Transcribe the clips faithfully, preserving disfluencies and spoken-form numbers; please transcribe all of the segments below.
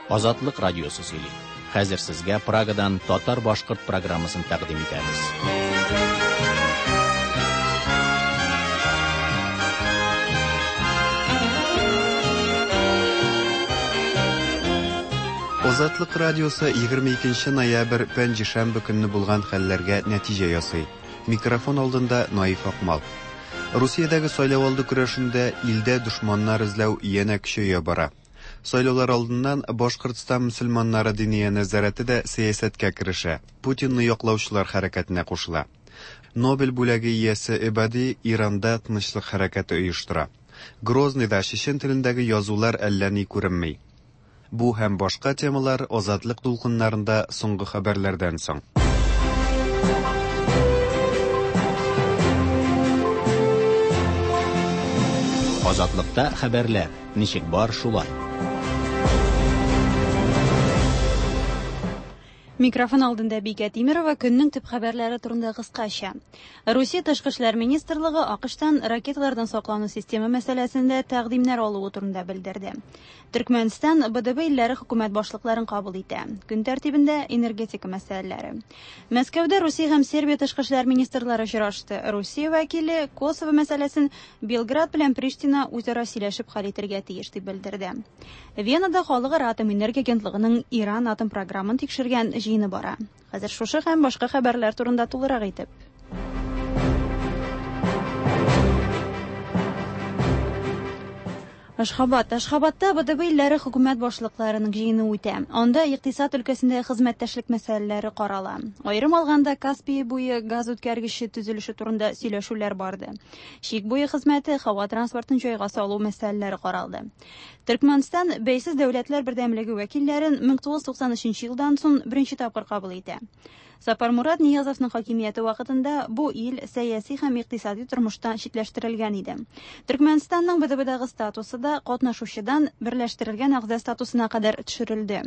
Азатлык радиосы сөйли. Хәзер сезгә Прагадан татар-башкорт программасын тәкъдим итәбез. Азатлык радиосы егерме икенче ноябрь пәнҗешәмбе көнне булган хәлләргә нәтиҗә ясый. Микрофон алдында Наиф Акмал. Русиядәге сайлау алды көрәшендә илдә дошманнар эзләү янә көчәя бара. Сайлаулар алдыннан Башкортстан мөселманнары диния нәзарәте дә сәясәткә керешә, Путинны яклаучылар хәрәкәтенә кушыла. Нобель бүләге иясе Эбади Иранда тынычлык хәрәкәте оештыра. Грозныйда чечен телендәге язулар әллә ни күренми. Бу һәм башка темалар Азатлык дулкыннарында соңгы хәбәрләрдән соң. Азатлыкта хәбәрләр ничек бар шулай. Микрофон алдында Бикә Тимирова көннең төп хәбәрләре турында кыскача. Русия Тышкы эшләр министрлыгы АКШтан ракеталардан саклану системы мәсьәләсендә тәкъдимнәр алуы турында белдерде. Төркмәнстан Б Д Б илләре хөкүмәт башлыкларын кабул итә. Көн тәртибендә энергетика мәсьәләләре. Мәскәүдә Русия һәм Сербия тышкы эшләр министрлары очрашты. Русия вәкиле Косово мәсьәләсен Белград белән Приштина үзара сөйләшеп хәл итәргә тиеш дип белдерде. Венада халыкара атом энергия агентлыгының Иран атом програмын тикшергән җыены бара. Хәзер шушы һәм башка хәбәрләр турында тулырак итеп. Ашхабад. Ашхабадта Б Д Б илләре хөкүмәт башлыкларының җыены үтә. Анда икътисад өлкәсендә хезмәттәшлек мәсьәләләре карала. Аерым алганда Каспий буе газ үткәргече төзелеше турында сөйләшүләр барды. Чик буе хезмәте, һава транспортын җайга салу мәсьәләләре каралды. Төркмәнстан бәйсез дәүләтләр бердәмлеге вәкилләрен мең тугыз йөз туксан өченче елдан соң беренче тапкыр кабул итә. Сапармурат Ниязовның хакимияте вакытында бу ил сәяси һәм икътисади тормыштан читләштерелгән иде. Төркмәнстанның Б Д Б-дагы статусы да катнашучыдан берләштерелгән әгъза статусына кадәр төшерелде.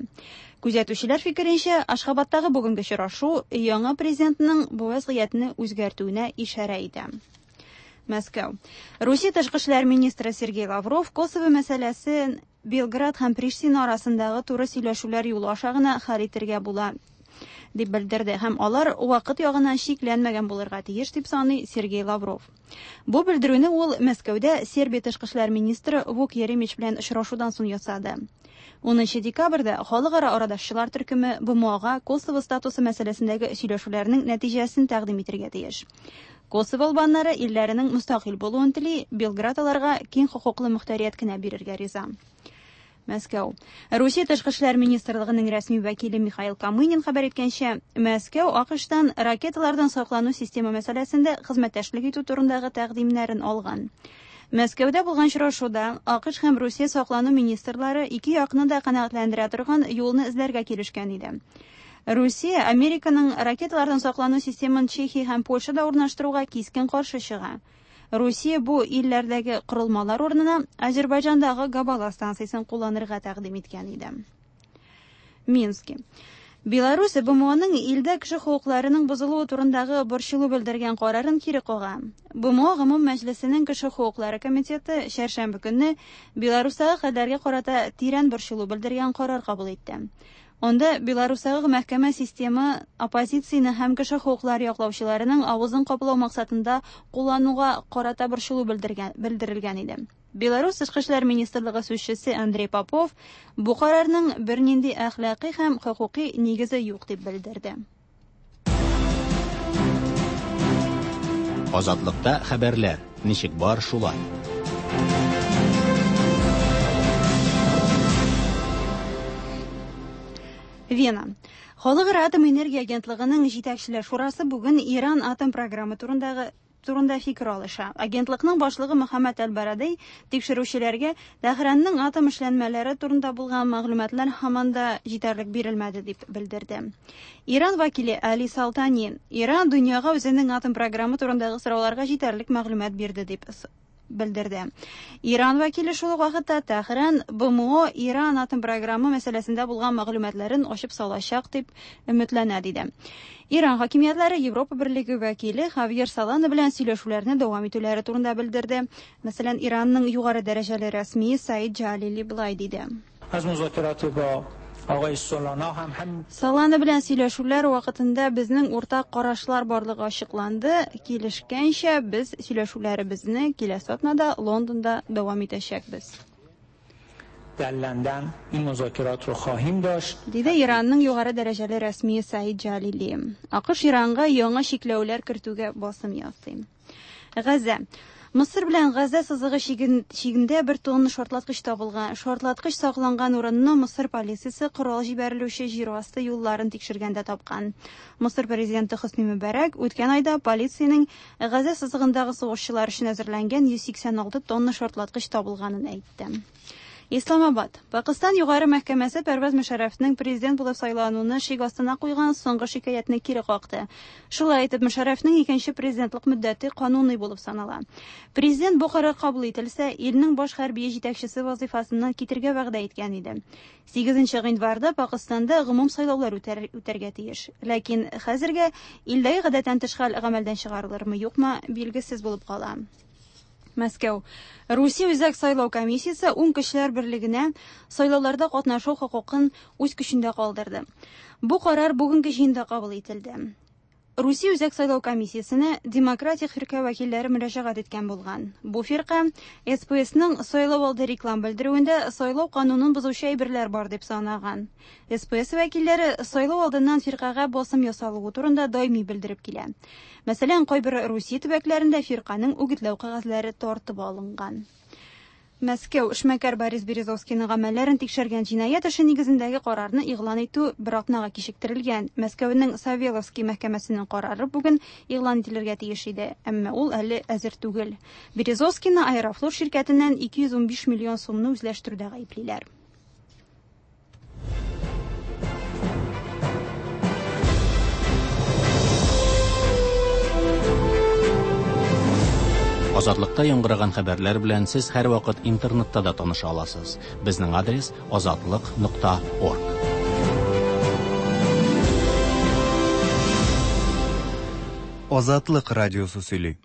Күзәтүчеләр фикеренчә, Ашхабадтагы бүгенге очрашу яңа президентның бу вазгыятьне үзгәртүенә ишарә итә. Мәскәү. Русия тышкы эшләр министры Сергей Лавров Косово мәсьәләсен Белград һәм Приштина арасындагы туры сөйләшүләр юлы аша гына хәл итәргә була дип белдерде һәм алар вакыт ягыннан чикләнмәгән булырга тиеш дип саный Сергей Лавров. Бу белдерүне ул Мәскәүдә Сербия тышкы эшләр министры Вук Еремич белән очрашудан соң ясады. Унынчы декабрьдә халыкара арадашчылар төркеме Б М О-га Косово статусы мәсьәләсендәге сөйләшүләрнең нәтиҗәсен тәкъдим итәргә тиеш. Косово албаннары илләренең мөстәкыйль булуын тели, Белград аларга киң хокуклы мөхтәрият кенә бирергә риза. Мәскәү. Русия тышкы эшләр министрлыгының рәсми вәкиле Михаил Камынин хәбәр иткәнчә, Мәскәү АКШтан ракеталардан саклану системы мәсьәләсендә хезмәттәшлек итү турындагы тәкъдимнәрен алган. Мәскәүдә булган очрашуда АКШ һәм Русия саклану министрлары ике якны да канәгатьләндерә торган юлны эзләргә килешкән иде. Русия Американың ракеталардан саклану системын Чехия һәм Польшада урнаштыруга кискен каршы чыга. Русия бу илләрдәге корылмалар урынына Азербайҗандагы Габала станциясен кулланырга тәкъдим иткән иде. Мински. Беларусь Б М О-ның илдә кеше хокукларының бозылуы турындагы борчылу белдергән карарын кире кага. Б М О Гомум Мәҗлесенең кеше хокуклары комитеты чәршәмбе көнне Беларусьтагы хәлләргә карата тирән борчылу белдергән карар кабул итте. Анда Беларусьтагы мәхкәмә системы оппозицияне һәм кеше хокуклары яклаучыларының авызын каплау максатында куллануга карата борчылу белдергән, белдерелгән иде. Беларусь Тышкы эшләр министрлыгы сүзчесе Андрей Попов бу карарның бернинди әхлакый һәм хокукый нигезе юк дип белдерде. Азатлыкта хәбәрләр ничек бар шулай. Вена. Халыкара атом энергия агентлыгының җитәкчеләр шурасы бүген Иран атом программы турындагы турында фикер алыша. Агентлыкның башлыгы Мөхәммәд Әл-Барадей тикшерүчеләргә Тәһранның атом эшләнмәләре турында булган мәгълүматлар һаман да җитәрлек бирелмәде дип белдерде. Иран вәкиле Али Салтани Иран дөньяга үзенең атом программы турындагы сорауларга җитәрлек мәгълүмат бирде дип с-, белдерде. Иран вәкиле шул ук вакытта Тәһран Б М О Иран атом программы мәсьәләсендә булган мәгълүматларын ачып салачак дип өметләнә диде. Иран хакимиятләре Европа Берлеге вәкиле Хавьер Солана белән сөйләшүләрне дәвам итүләре турында белдерде. Мәсәлән, Иранның югары дәрәҗәле рәсмие Саид Джалили былай диде. Аз музакираты бо Солана белән сөйләшүләр вакытында безнең уртак карашлар барлыгы ачыкланды. Килешкәнчә, без сөйләшүләребезне киләсе атнада Лондонда дәвам итәчәкбез. Диде Иранның югары дәрәҗәле рәсмие Саид Джалили. АКШ Иранга яңа чикләүләр кертүгә басым ясый. Газа. Мысыр белән Газа сызыгы чигендә бер тонна шартлаткыч табылган. Шартлаткыч сакланган урынны Мысыр полициясе корал җибәрелүче җир асты юлларын тикшергәндә тапкан. Мысыр президенты Хөсни Мөбәрәк үткән айда полициянең Газа сызыгындагы сугышчылар өчен әзерләнгән йөз сиксән алты тонна шартлаткыч табылганын әйтте. Исламабад. Пакистан югары мәхкәмәсе Пәрвәз Мөшәррәфнең президент булып сайлануны шик астына куйган соңгы шикаятьне кире какты. Шулай итеп, Мөшәррәфнең икенче президентлык мөддәте кануни булып санала. Президент бу карар кабул ителсә, илнең баш хәрби җитәкчесе вазифасыннан китергә вәгъдә иткән иде. Сигезенче гыйнварда Пакистанда гомум сайлаулар үтәргә тиеш. Ләкин хәзергә илдәге гадәттән тыш хәл гамәлдән чыгарылырмы, юкмы, билгесез булып кала. Мәскәү. Русия Үзәк сайлау комиссиясе ун кешеләр берлегенә сайлауларда катнашу хокукын үз көчендә калдырды. Бу карар бүгенге җыенда кабул ителде. Русия Үзәк сайлау комиссиясенә Демократик фирка вәкилләре мөрәҗәгать иткән булган. Бу фирка Эс Пэ Эсның сайлау алды реклам белдерүендә сайлау канунын бозучы әйберләр бар дип санаган. Эс Пэ Эс вәкилләре сайлау алдыннан фиркага басым ясалуы турында даими белдереп килә. Мәсәлән, кайбер Русия төбәкләрендә фирканың үгетләү кәгазьләре тартып алынган. Мәскәү эшмәкәр Борис Березовскийның гамәлләрен тикшергән җинаять эше нигезендәге карарны игълан итү бер атнага кичектерелгән. Мәскәүнең Савеловский мәхкәмәсенең карары бүген игълан ителергә тиеш иде, әмма ул әле әзер түгел. Березовскийны Аэрофлот ширкәтеннән ике йөз унбиш миллион сумны үзләштерүдә гаеплиләр. Азатлыкта яңгыраган хәбәрләр белән сез һәр вакыт интернетта да таныша аласыз. Безнең адрес азатлык нокта орг. Азатлык радиосы сөйли.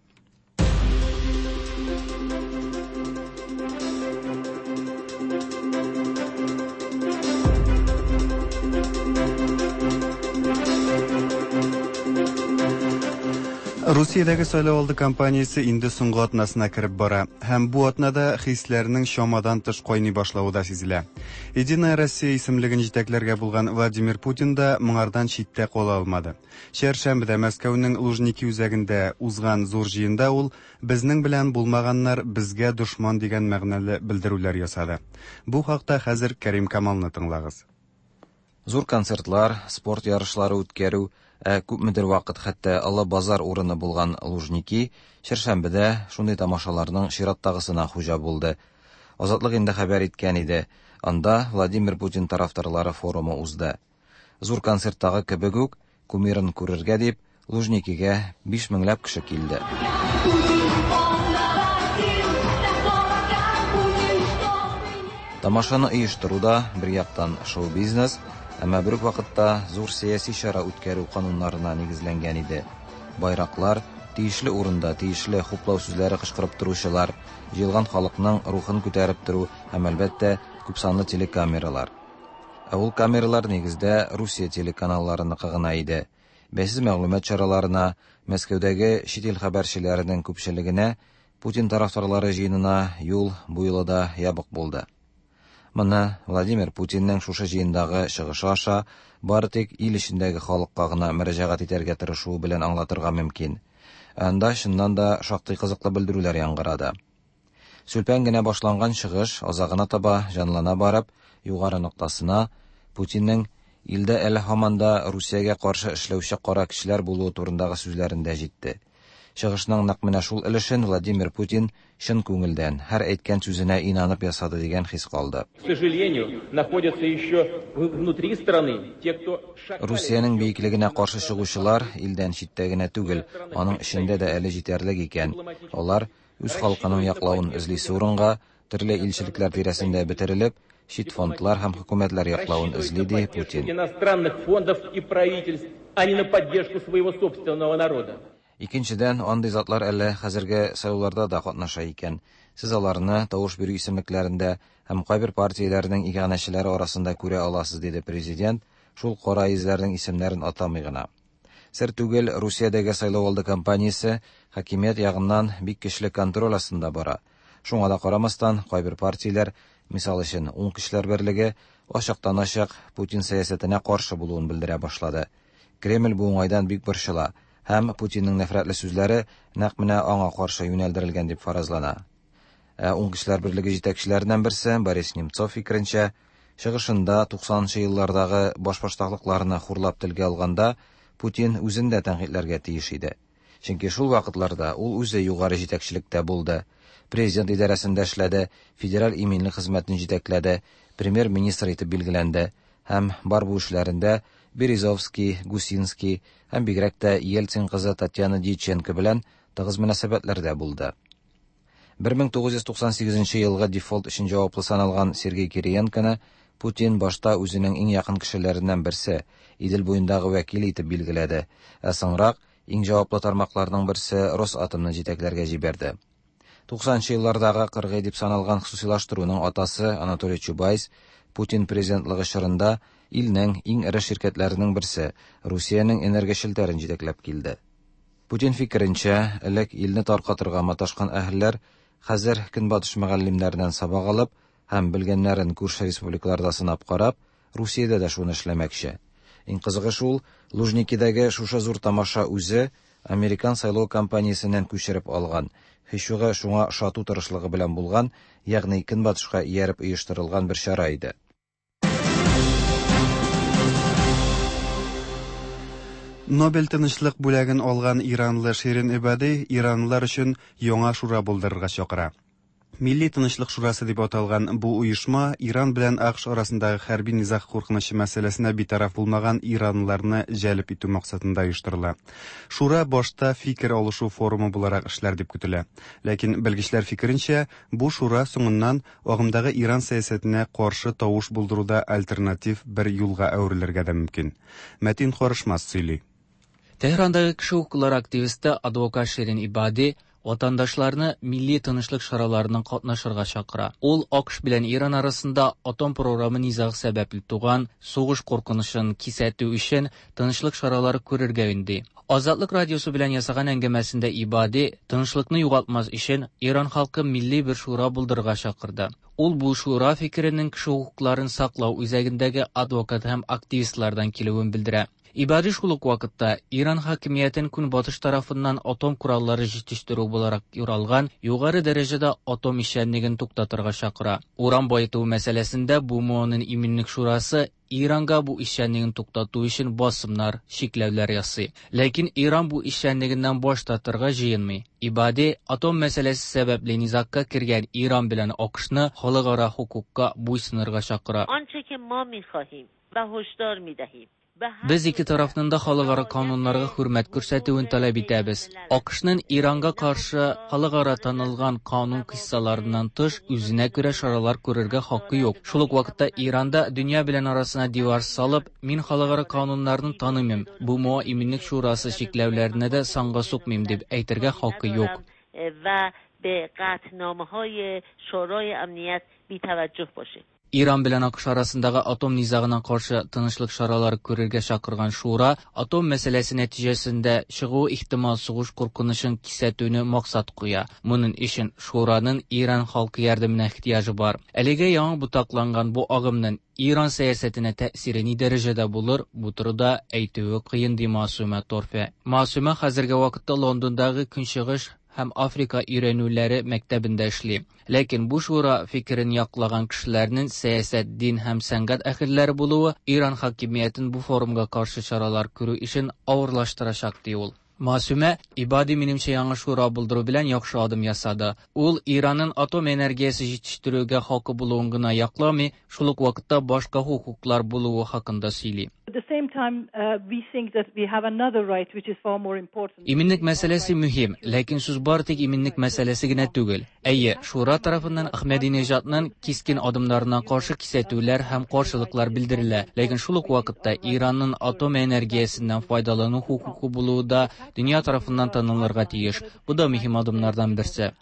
Русиядәге сайлау алды кампаниясе инде соңгы атнасына кереп бара һәм бу атнада хисләрнең чамадан тыш кайный башлавы да сизелә. Единая Россия исемлеген җитәкләргә булган Владимир Путин да моңардан читтә кала алмады. Чәршәмбедә Мәскәүнең Лужники үзәгендә узган зур җыенда ул безнең белән булмаганнар безгә дошман дигән мәгънәле белдерүләр ясады. Бу хакта хәзер Кәрим Камалны тыңлагыз. Зур концертлар, спорт ярышлары үткәрү, ә күпмедер вакыт хәтта Олы базар урыны булган Лужники чәршәмбедә шундый тамашаларның чираттагысына хуҗа булды. Азатлык инде хәбәр иткән иде. Анда Владимир Путин тарафдарлары форумы узды. Зур концерттагы кебек үк кумирын күрергә дип Лужникига биш меңләп кеше килде. Тамашаны оештыруда бер яктан шоу-бизнес, әмма бер үк вакытта зур сәяси чара үткәрү кануннарына нигезләнгән иде. Байраклар, тиешле урында тиешле хуплау сүзләре кычкырып торучылар, җыелган халыкның рухын күтәреп тору һәм әлбәттә күпсанлы телекамералар. Ә ул камералар нигездә Русия телеканалларыныкы гына иде. Бәйсез мәгълүмат чараларына, Мәскәүдәге чит ил хәбәрчеләренең күпчелегенә Путин тарафдарлары җыенына юл бу юлы да ябык булды. Моны Владимир Путинның шушы җыендагы чыгышы аша бары тик ил эчендәге халыкка гына мөрәҗәгать итәргә тырышуы белән аңлатырга мөмкин. Анда чыннан да шактый кызыклы белдерүләр яңгырады. Сүлпән генә башланган чыгыш азагына таба җанлана барып, югары ноктасына Путинның илдә әле һаман да Русиягә каршы эшләүче кара кешеләр булуы турындагы сүзләрендә җитте. Чыгышның нәкъ менә шул өлешен Владимир Путин чын күңелдән, һәр әйткән сүзенә инанып ясады дигән хис калды. К сожалению, находятся еще внутри страны те, кто Русиянең бөеклегенә каршы чыгучылар илдән читтә генә түгел, аның эчендә дә әле җитәрлек икән. Алар үз халкының яклавын эзлисе урынга төрле илчелекләр тирәсендә бетерелеп, чит фондлар һәм хөкүмәтләр яклавын эзли, ди Путин. Иностранных фондов и правительств, а не на поддержку своего собственного народа. Икенчедән, андый затлар әле хәзерге сайлауларда да катнаша икән. Сез аларны тавыш бирү исемлекләрендә һәм кайбер партияләрнең иганәчеләре арасында күрә аласыз, диде президент, шул кара йөзләрнең исемнәрен атамый гына. Сер түгел, Русиядәге сайлау алды кампаниясе хакимият ягыннан бик көчле контроль астында бара. Шуңа да карамастан, кайбер партияләр, мисал өчен, Уң көчләр берлеге, ачыктан-ачык Путин сәясәтенә каршы булуын белдерә башлады. Кремль бу уңайдан бик борчыла һәм Путинның нәфрәтле сүзләре нәкъ менә аңа каршы юнәлдерелгән дип фаразлана. Ә Уң көчләр берлеге җитәкчеләреннән берсе Борис Немцов фикеренчә, чыгышында туксанынчы еллардагы башбаштаклыкларны хурлап телгә алганда Путин үзен дә тәнкыйтьләргә тиеш иде. Чөнки шул вакытларда ул үзе югары җитәкчелектә булды. Президент идарәсендә эшләде, федераль иминлек хезмәтен җитәкләде, премьер-министр итеп билгеләнде һәм бар бу эшләрендә Березовский, Гусинский һәм бигрәк тә Ельцин кызы Татьяна Дьяченко белән тыгыз мөнәсәбәтләрдә булды. бер мең тугыз йөз туксан сигезенче елгы дефолт өчен җаваплы саналган Сергей Кириенконы Путин башта үзенең иң якын кешеләреннән берсе, Идел буендагы вәкил итеп билгеләде, ә соңрак иң җаваплы тармакларның берсе Росатомны җитәкләргә җибәрде. Туксанынчы еллардагы кыргый дип саналган хосусилаштыруның атасы Анатолий Чубайс Путин президентлыгы чорында илнең иң эре ширкәтләренең берсе Русиянең энергия челтәрен җитәкләп килде. Путин фикеренчә, элек илне таркатырга маташкан әһелләр хәзер көнбатыш мөгаллимнәреннән сабак алып һәм белгәннәрен күрше республикаларда сынап карап, Русиядә дә шуны эшләмәкче. Иң кызыгы шул, Лужникидәге шушы зур тамаша үзе американ сайлау кампаниясеннән күчереп алган, һич югы шуңа ошату тырышлыгы белән булган, ягъни көнбатышка ияреп оештырылган бер чара иде. Нобель тынычлык бүләген алган иранлы Ширин Эбади иранлылар өчен яңа шура булдырырга чакыра. Милли тынычлык шурасы дип аталган бу оешма Иран белән АКШ арасындагы хәрби низаг куркынычы мәсьәләсенә битараф булмаган иранлыларны җәлеп итү максатында оештырыла. Шура башта фикер алышу форумы буларак эшләр дип көтелә. Ләкин белгечләр фикеренчә, бу шура соңыннан агымдагы Иран сәясәтенә каршы тавыш булдыруда альтернатив бер юлга әверелергә дә мөмкин. Мәтин Карышмас сөйли. Tehran'daki kişi hukukları aktivisti advokat Şirin Ibadi vatandaşlarını milli tınışlık şaralarından qatnaşırğa çakıra. Ул АКШ белән Иран арасында атом програмы низагы сәбәпле туган сугыш куркынычын кисәтү өчен тынычлык чаралары күрергә өнди. Азатлык радиосы белән ясаган әңгәмәсендә Ибади тынычлыкны югалтмас өчен Иран халкы милли бер шура булдырырга чакырды. Ул бу шура фикеренең кеше хокукларын саклау үзәгендәге адвокат һәм активистлардан килүен белдерә. Ибади шул ук вакытта Иран хакимиятен көнбатыш тарафыннан атом кораллары җитештерү буларак юралган югары дәрәҗәдә атом эшчәнлеген туктатырга чакыра. Уран баету мәсьәләсендә БМОның иминлек шурасы Иранга бу эшчәнлеген туктату өчен басымнар, чикләүләр ясый. Ләкин Иран бу эшчәнлегеннән баш тартырга җыенмый. Ибади атом мәсьәләсе сәбәпле низагка кергән Иран белән АКШны халыкара хокукка буйсынырга чакыра. آنچه که ما می‌خواهیم و هشدار می‌دهیم. Без ике тарафның да халыкара кануннарга хөрмәт күрсәтүен таләп итәбез. АКШның Иранга каршы халыкара танылган канун кыссаларыннан тыш үзенә күрә чаралар күрергә хакы юк. Шул ук вакытта Иранда дөнья белән арасына дивар салып, мин халыкара кануннарны танымыйм, БМО иминлек шурасы чикләүләренә дә санга сукмыйм дип әйтергә хакы юк. و به قطعنامه‌های شورای امنیت بی‌توجه باشه. Иран белән АКШ арасындагы атом низагына каршы тынычлык чаралары күрергә чакырган шура атом мәсьәләсе нәтиҗәсендә чыгу ихтимал сугыш куркынычын кисәтүне максат куя. Моның өчен шураның Иран халкы ярдәменә ихтыяҗы бар. Әлегә яңа ботакланган бу агымның Иран сәясәтенә тәэсире ни дәрәҗәдә булыр, бу турыда әйтүе кыен, ди Масума Торфе. Масума хәзерге вакытта Лондондагы Көнчыгыш һәм Африка өйрәнүләре мәктәбендә эшли. Ләкин бу шура фикерен яклаган кешеләрнең сәясәт, дин һәм сәнгать әһелләре булуы Иран хакимиятен бу форумга каршы чаралар күрү эшен авырлаштырачак, ди ул. Масума Ибади минемчә яңа шура булдыру белән яхшы адым ясады. Ул Иранның атом энергиясе җитештерүгә хакы булуын гына якламый, шул ук вакытта башка хокуклар булуы хакында сөйли. At the same time, uh, we think that we have another right which is far more important. Иминлек мәсьәләсе мөһим, ләкин сүз бары тик иминлек мәсьәләсе генә түгел. Әйе, шура тарафыннан Әхмәдинежадның кискен адымнарына каршы кисәтүләр һәм каршылыклар белдерелә. Ләкин шул ук вакытта Иранның атом энергиясеннән файдалану хокукы булуы да дөнья тарафыннан танылырга тиеш. Бу да мөһим адымнардан берсе.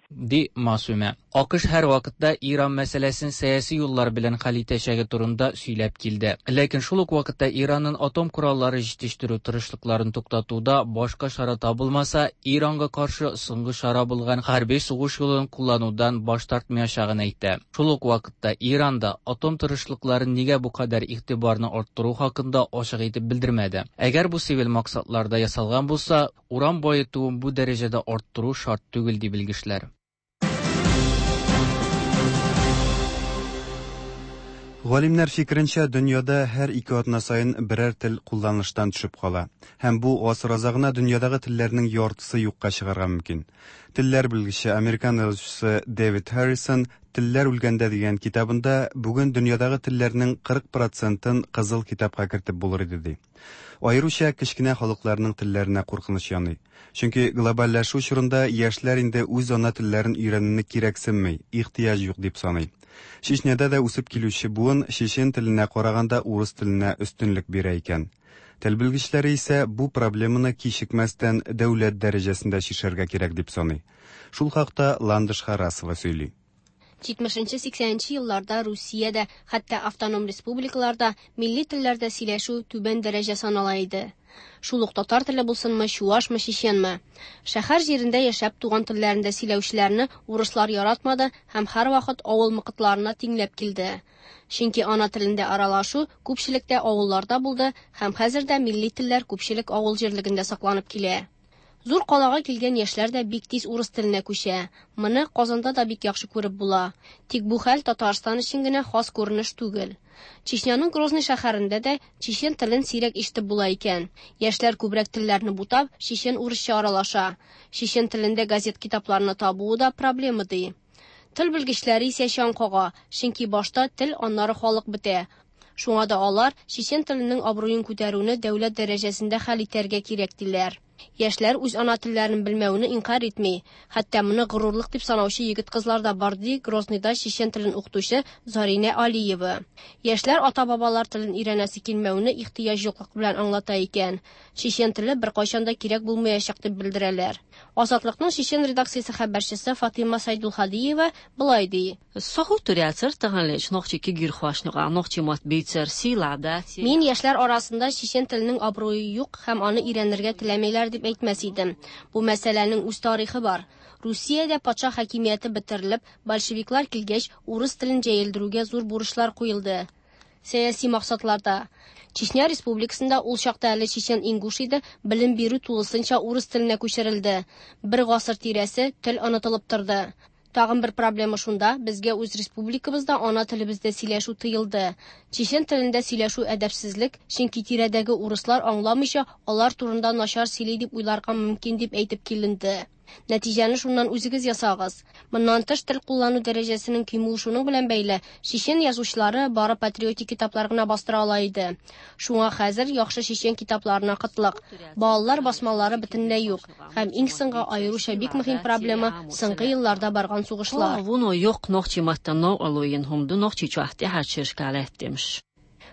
Ди Масуме. АКШ һәр вакытта Иран мәсьәләсен сәяси юллар белән хәл итәчәге турында сөйләп килде. Ләкин шул ук вакытта Иранның атом кораллары җитештерү тырышлыкларын туктатуда башка чара табылмаса, Иранга каршы соңгы чара булган хәрби сугыш юлын кулланудан баш тартмаячагын әйтте. Шул ук вакытта Иранда атом тырышлыкларын нигә бу кадәр игътибарны арттыру хакында ачык итеп белдермәде. Әгәр бу цивиль максатларда ясалган булса, уран баетуын бу дәрәҗәдә арттыру шарт түгел, ди белгечләр. Галимнәр фикеренчә, дөньяда һәр ике атна саен берәр тел кулланыштан төшеп кала. Һәм бу гасыр азагына дөньядагы телләрнең яртысы юкка чыгарга мөмкин. Телләр белгече, американ язучысы Дэвид Харрисон «Телләр үлгәндә» дигән китабында бүген дөньядагы телләрнең кырык процентын кызыл китапка кертеп булыр иде ди. Аеруча кечкенә халыкларның телләренә куркыныч яный. Чөнки глобальләшү чорында яшьләр инде үз ана телләрен өйрәнүне кирәксенми, ихтыяҗ юк дип саный. Чечняда да үсеп килүче буын чечен теленә караганда урыс теленә өстенлек бирә икән. Тел белгечләре исә бу проблеманы кичекмәстән дәүләт дәрәҗәсендә чишәргә кирәк дип саный. Шул хакта Ландыш Харасова сөйли. җитмешенче-сиксәненче елларда Русиядә, хәтта автоном республикаларда милли телләрдә сөйләшү түбән дәрәҗә санала иде. Шул ук татар теле булсынмы, чуашмы, чеченме. Шәһәр җирендә яшәп туган телләрендә сөйләүчеләрне урыслар яратмады һәм һәрвакыт авыл мокытларына тиңләп килде. Чөнки ана телендә аралашу күпчелектә авылларда булды һәм хәзер дә милли телләр күпчелек авыл җирлегендә сакланып килә. Зур калага килгән яшьләр дә бик тиз урыс теленә күчә. Моны Казанда да бик яхшы күреп була. Тик бу хәл Татарстан өчен генә хас күренеш түгел. Чечняның Грозный шәһәрендә дә чечен телен сирәк ишетеп була икән. Яшьләр күбрәк телләрне бутап, чечен урысча аралаша. Чечен телендә газет китапларны табуы да проблема ди. Тел белгечләре исә чаң кага, чөнки башта тел, аннары халык бетә. Шуңа да алар чечен теленең абруен күтәрүне дәүләт дәрәҗәсендә хәл итәргә кирәк диләр. Яшьләр үз ана телләрен белмәүне инкар итми. Хәтта моны горурлык дип санаучы егет-кызлар да бар, ди Грозныйда чечен телен укытучы Зарина Алиева. Яшьләр ата-бабалар телен өйрәнәсе килмәүне ихтыяҗ юклык белән аңлата икән. Чечен теле беркайчан да кирәк булмаячак дип белдерәләр. Азатлыкның чечен редакциясе хәбәрчесе Фатима Сайдулхадиева болай ди. Мин яшьләр арасында чечен теленең абруе юк һәм аны өйрәнергә теләмиләр дип әйтмәс идем. Бу мәсьәләнең үз тарихы бар. Русиядә патша хакимияте бетерелеп, большевиклар килгәч, урыс телен җәелдерүгә зур бурычлар куелды. Сәяси максатларда. Чечня республикасында ул чакта әле чечен-ингуш иде, белем бирү тулысынча урыс теленә күчерелде. Бер гасыр тирәсе тел онытылып торды. Тагын бер проблема шунда, безгә үз республикабызда ана телебездә сөйләшү тыелды. Чечен телендә сөйләшү әдәпсезлек, чөнки тирәдәге урыслар аңламыйча, алар турында начар сөйли дип уйларга мөмкин дип әйтеп киленде. Нәтиҗәне шуннан үзегез ясагыз. Моннан тыш тел куллану дәрәҗәсенең кимүе шуның белән бәйле, чечен язучылары бары патриотик китаплар гына бастыра ала иде. Шуңа хәзер яхшы чечен китапларына кытлык. Балалар басмалары бөтенләй юк. Һәм иң соңгы аеруча бик мөһим проблема соңгы елларда барган сугышлар.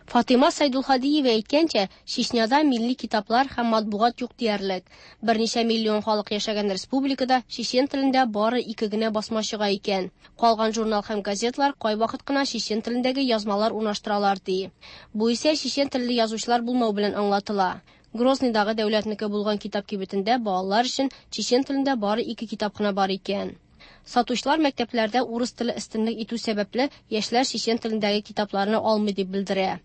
Фатима Сайдулхадиева әйткәнчә, Чечняда милли китаплар һәм матбугат юк диярлек. Берничә миллион халык яшәгән республикада чечен телендә бары ике генә басма чыга икән. Калган журнал һәм газетлар кайвакыт кына чечен телендәге язмалар урнаштыралар ди. Бу исә чечен телле язучылар булмау белән аңлатыла. Грозныйдагы дәүләтнеке булган китап кибетендә балалар өчен чечен телендә бары ике китап кына бар икән. Сатучылар мәктәпләрдә урыс теле өстенлек итү сәбәпле яшьләр чечен телендәге китапларны алмый дип белдерә.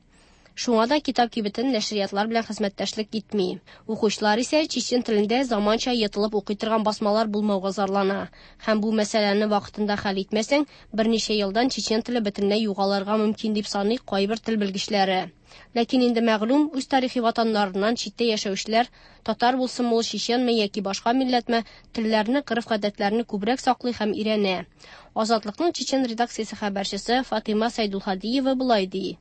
Шуңа да китап кибетен нәшриятлар белән хезмәттәшлек итми. Укучылар исә чечен телендә заманча йытылып укый торган басмалар булмауга зарлана. Һәм бу мәсьәләне вакытында хәл итмәсәң, берничә елдан чечен теле бөтенләй югалырга мөмкин дип саный кайбер тел белгечләре. Ләкин инде мәгълүм, үз тарихи ватаннарыннан читтә яшәүчеләр, татар булсынмы ул, чеченме яки башка милләтме, телләрне, гореф-гадәтләрне күбрәк саклый һәм өйрәнә. Азатлыкның чечен редакциясе хәбәрчесе Фатима Сайдулхадиева болай ди.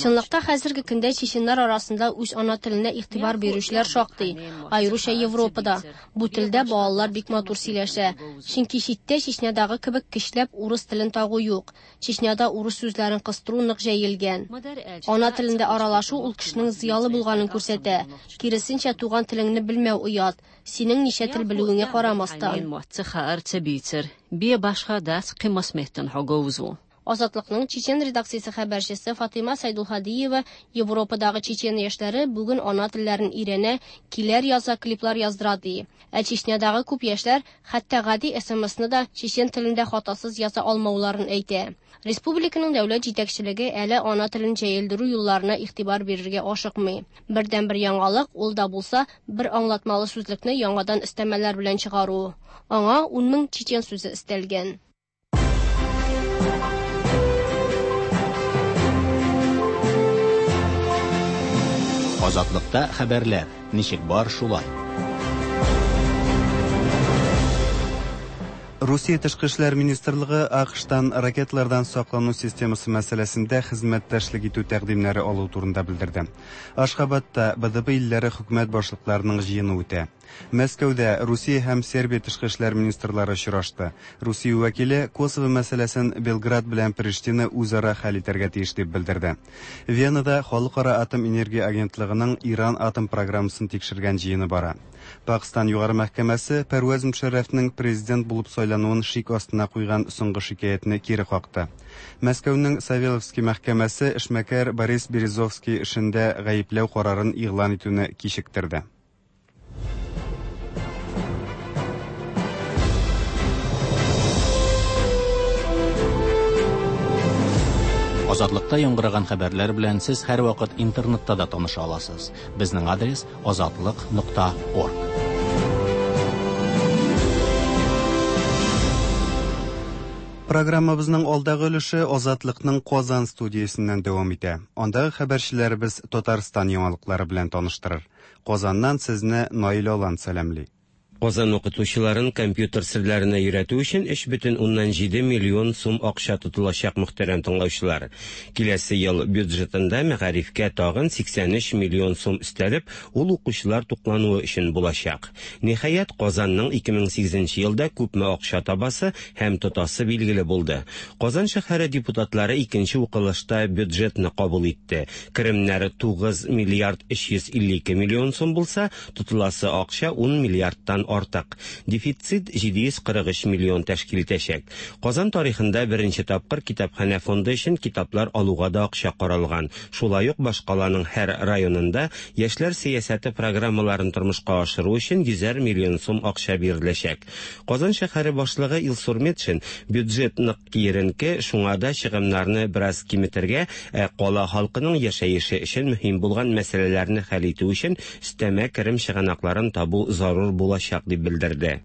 Чынлыкта хәзерге көндә чеченнәр арасында үз ана теленә игътибар бирүчеләр шактый, аеруча Европада. Бу телдә балалар бик матур сөйләшә. Чөнки читтә Чечнядагы кебек көчләп урыс телен тагу юк. Чечняда анда урыс сүзләрен кыстыру нык җәелгән. Ана телендә аралашу ул кешенең зыялы булганын күрсәтә. Киресенчә, туган телеңне белмәү оят. Синең ничә тел белүеңә карамастан. Азатлыкның Чечен редакциясе хәбәрчесе Фатыйма Сайдулһадиева Европадагы чечен яшьләре бүген ана телләрен өйрәнә, көйләр яза, клиплар яздыра ди. Ә Чечнядагы күп яшьләр хәтта гади СМСны да чечен телендә хатасыз яза алмауларын әйтә. Республиканың дәүләт җитәкчелеге әле ана телен җәелдерү юлларына игътибар бирергә ашыкмый. Бердәнбер яңалык ул да булса бер аңлатмалы сүзлекне яңадан өстәмәләр белән чыгару. Аңа ун мең чечен сүзе өстәлгән. Азатлыкта хәбәрләр ничек бар шулай. Русия Тышкы эшләр министрлыгы АКШтан ракеталардан саклану системасы мәсьәләсендә хезмәттәшлек итү тәкъдимнәре алу турында белдерде. Ашхабадта Б Д Б илләре хөкүмәт башлыкларының җыены үтә. Мәскәүдә Русия һәм Сербия тышкы эшләр министрлары очрашты. Русия вәкиле Косово мәсьәләсен Белград белән Приштина үзара хәл итәргә тиеш дип белдерде. Венада Халыкара атом энергия агентлыгының Иран атом программасын тикшергән җыены бара. Пакстан югары мәхкәмәсе Пәрвәз Мөшәррәфнең президент булып сайлануын шик астына куйган соңгы шикаятьне кире какты. Мәскәүнең Савеловский мәхкәмәсе эшмәкәр Борис Березовский эшендә гаепләү карарын игълан итүне кичектерде. Азатлыкта яңгыраган хәбәрләр белән сез һәрвакыт интернетта да таныша аласыз. Безнең адрес азатлык нокта орг. Программабызның алдагы өлеше Азатлыкның Казан студиясеннән дәвам итә. Андагы хәбәрчеләребез Татарстан яңалыклары белән таныштырыр. Казаннан сезне Наил Алан сәламли. Казан укытучыларын компьютер серләренә өйрәтү өчен өч бөтен уннан җиде миллион сум акча тотылачак, мөхтәрәм тыңлаучылар. Киләсе ел бюджетында мәгарифкә тагын сиксән өч миллион сум өстәлеп, ул укучылар туклануы өчен булачак. Ниһаять, Казанның ике мең сигезенче елда күпме акча табасы һәм тотасы билгеле булды. Казан шәһәре депутатлары икенче укылышта бюджетны кабул итте. Керемнәре тугыз миллиард өч йөз илле ике миллион сум булса, тотыласы акча ун миллиардтан артык. Дефицит җиде йөз кырык өч миллион тәшкил итәчәк. Казан тарихында беренче тапкыр китапханә фонды өчен китаплар алуга да акча каралган. Шулай ук башкаланың һәр районында яшьләр сәясәте программаларын тормышка ашыру өчен йөзәр миллион сум акча биреләчәк. Казан шәһәре башлыгы Илсур Метшин бюджет нык киеренке, шуңа да чыгымнарны бераз киметергә, ә кала халкының яшәеше өчен мөһим булган мәсьәләләрне хәл итү өчен өстәмә керем чыганакларын табу зарур булачак дип белдерде.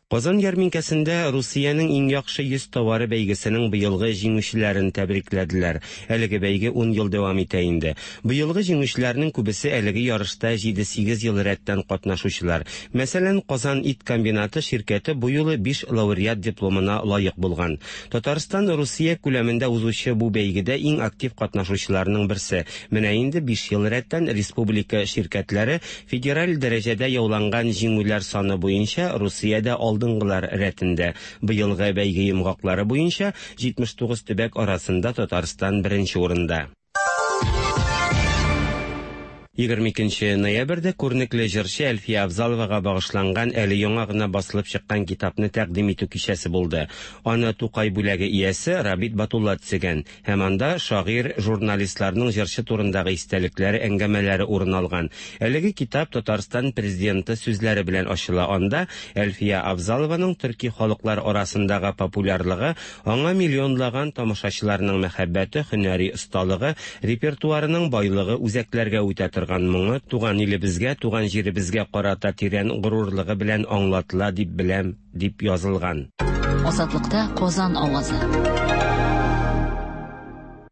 Казан ярминкәсендә Русиянең иң яхшы йөз товары бәйгесенең быелгы җиңүчеләрен тәбрикләделәр. Әлеге бәйге ун ел дәвам итә инде. Быелгы җиңүчеләрнең күбесе әлеге ярышта җиде-сигез ел рәттән катнашучылар. Мәсәлән, Казан ит комбинаты ширкәте бу юлы биш лауреат дипломына лаек булган. Татарстан Русия күләмендә узучы бу бәйгедә иң актив катнашучыларның берсе. Менә инде биш ел рәттән республика ширкәтләре федераль дәрәҗәдә яуланган җиңүләр саны буенча Русиядә алдынгылар рәтендә. Быелгы бәйге йомгаклары буенча җитмеш тугыз төбәк арасында Татарстан беренче урында. егерме икенче ноябрьдә күренекле җырчы Әлфия Авзаловага багышланган әле яңа гына басылып чыккан китапны тәкъдим итү кичәсе булды. Аны Тукай бүләге иясе Рабит Батулла төзегән һәм анда шагыйрь, журналистларның җырчы турындагы истәлекләре, әңгәмәләре урын алган. Әлеге китап Татарстан президенты сүзләре белән ачыла. Анда Әлфия Авзалованың төрки халыклар арасындагы популярлыгы, аңа миллионлаган тамашачыларның мәхәббәте, һөнәри осталыгы, репертуарының байлыгы, үзәкләргә үтә торган моңы, туган илебезгә, туган җиребезгә карата тирән горурлыгы белән аңлатыла дип беләм, дип язылган. Азатлыкта Казан авазы.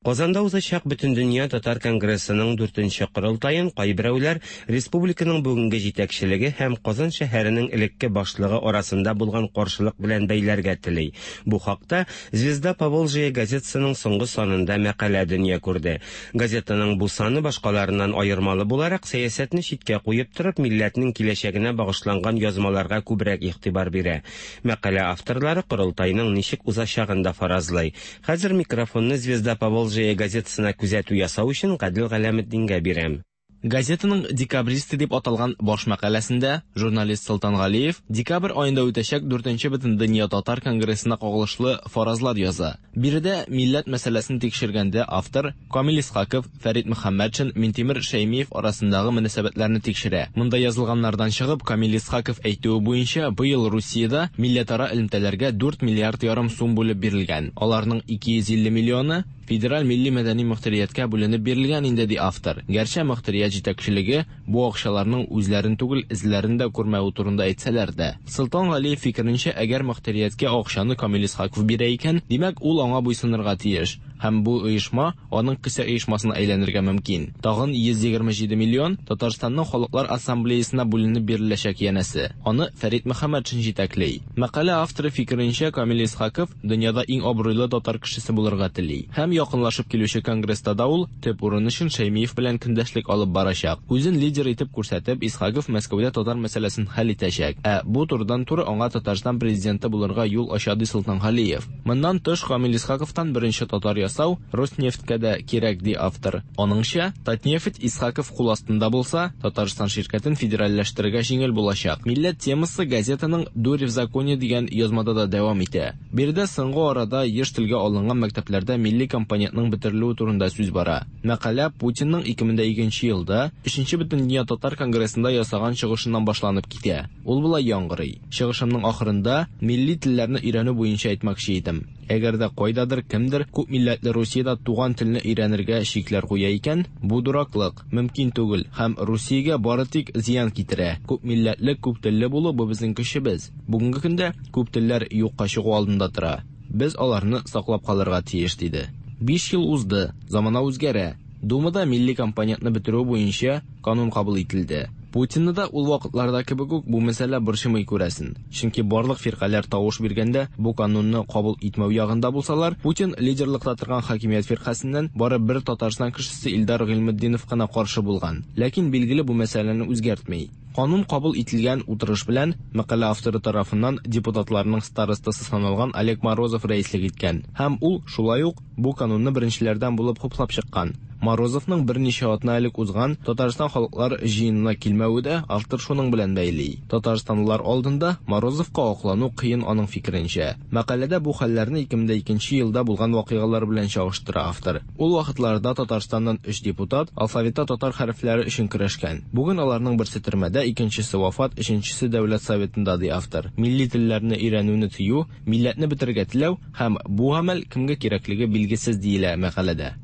Казанда узачак Бөтендөнья татар конгрессының дүртенче корылтаен кайберәүләр республиканың бүгенге җитәкчелеге һәм Казан шәһәренең элекке башлыгы арасында булган каршылык белән бәйләргә тели. Бу хакта «Звезда Поволжья» газетасының соңгы санында мәкалә дөнья күрде. Газетаның бу саны башкаларыннан аермалы буларак, сәясәтне читкә куеп торып, милләтнең киләчәгенә багышланган язмаларга күбрәк игътибар бирә. Мәкалә авторлары корылтайның ничек узачагын да фаразлый. Хәзер микрофонны «Звезда Поволжья» газетасына күзәтү ясау өчен Гадел Галәметдингә бирәм. Газетаның «Декабристы» дип аталган баш мәкаләсендә журналист Солтан Галиев декабрь аенда үтәчәк дүртенче Бөтендөнья татар конгрессына кагылышлы фаразлар яза. Биредә милләт мәсьәләсен тикшергәндә автор Камил Исхаков, Фәрит Мөхәммәтшин, Минтимер Шәймиев арасындагы мөнәсәбәтләрне тикшерә. Монда язылганнардан чыгып, Камил Исхаков әйтүе буенча, быел Русиядә милләтара элемтәләргә дүрт миллиард ярым сум бүлеп бирелгән. Аларның ике йөз илле миллионы федераль милли мәдәни мөхтәрияткә бүленеп бирелгән инде, ди автор. Гәрчә мөхтәрият җитәкчелеге бу акчаларның үзләрен түгел, эзләрен дә күрмәве турында әйтсәләр дә. Солтан Галиев фикеренчә, әгәр мөхтәрияткә акчаны Камил Исхаков бирә икән, димәк, ул аңа буйсынырга тиеш. Һәм бу оешма аның кесә оешмасына әйләнергә мөмкин. Тагын йөз егерме җиде миллион Татарстанның халыклар ассамблеясына бүленеп биреләчәк янәсе. Аны Фәрит Мөхәммәтшин җитәкли. Мәкалә авторы фикеренчә, Камил Исхаков дөньяда иң абруйлы татар кешесе булырга тели. Һәм якынлашып килүче конгресста да ул төп урын өчен Шәймиев белән көндәшлек алып барачак. Үзен лидер итеп күрсәтеп, Исхаков Мәскәүдә татар мәсьәләсен хәл итәчәк. Ә бу турыдан-туры аңа Татарстан президенты булырга юл ача, ди Солтан Галиев. Моннан тыш, Камил Исхаковтан беренче татар ясау Роснефтькә дә кирәк, ди автор. Аныңча, Татнефть Исхаков кул астында булса, Татарстан ширкәтен федеральләштерергә җиңел булачак. Милләт темасы газетаның «Дурь в законе» дигән язмада да дәвам итә. Биредә соңгы арада еш телгә алынган мәктәпләрдә милли компонентның бетерелүе турында сүз бара. Мәкалә Путинның ике мең икенче елда өченче Бөтендөнья татар конгрессында ясаган чыгышыннан башланып китә. Ул болай яңгырый: Чыгышымның ахырында милли телләрне өйрәнү буенча әйтмәкче идем. Әгәр дә кайдадыр кемдер күп милләтле Русиядә туган телне өйрәнергә шикләр куя икән, бу дураклык, мөмкин түгел һәм Русиягә бары тик зыян китерә. Күп милләтле, күп телле булу бу безнең көчебез. Бүгенге көндә күп телләр юкка чыгу алдында тора. Без аларны саклап калырга тиеш, диде. Биш ел узды, замана үзгәрә. Думада милли компонентны бетерү буенча канун кабул ителде. Путинны да ул вакытларда кебек үк бу мәсьәлә борчымый күрәсен. Чөнки барлык фиркаләр тавыш биргәндә бу канунны кабул итмәү ягында булсалар, Путин лидерлыкта торган хакимият фиркасеннән бары бер Татарстан кешесе Илдар Гыйльметдинов кына каршы булган. Ләкин билгеле бу мәсьәләне үзгәртми. Канун кабул ителгән утырыш белән мәкалә авторы тарафыннан депутатларның старостасы саналган Олег Морозов рәислек иткән. Һәм ул шулай ук бу канунны беренчеләрдән булып хуплап чыккан. Морозовның берничә атна элек узган Татарстан халыклар җыенына килмәве дә автор шуның белән бәйли. Татарстанлылар алдында Морозовка аклану кыен аның фикеренчә. Мәкаләдә бу хәлләрне ике мең икенче елда булган вакыйгалар белән чагыштыра автор. Ул вакытларда Татарстаннан өч депутат алфавитта татар хәрефләре өчен көрәшкән. Бүген аларның берсе төрмәдә, икенчесе вафат, өченчесе дәүләт советында, ди автор. Милли телләрне өйрәнүне тыю, милләтне бетерергә теләү һәм бу гамәл кемгә кирәклеге билгесез диелә мәкаләдә.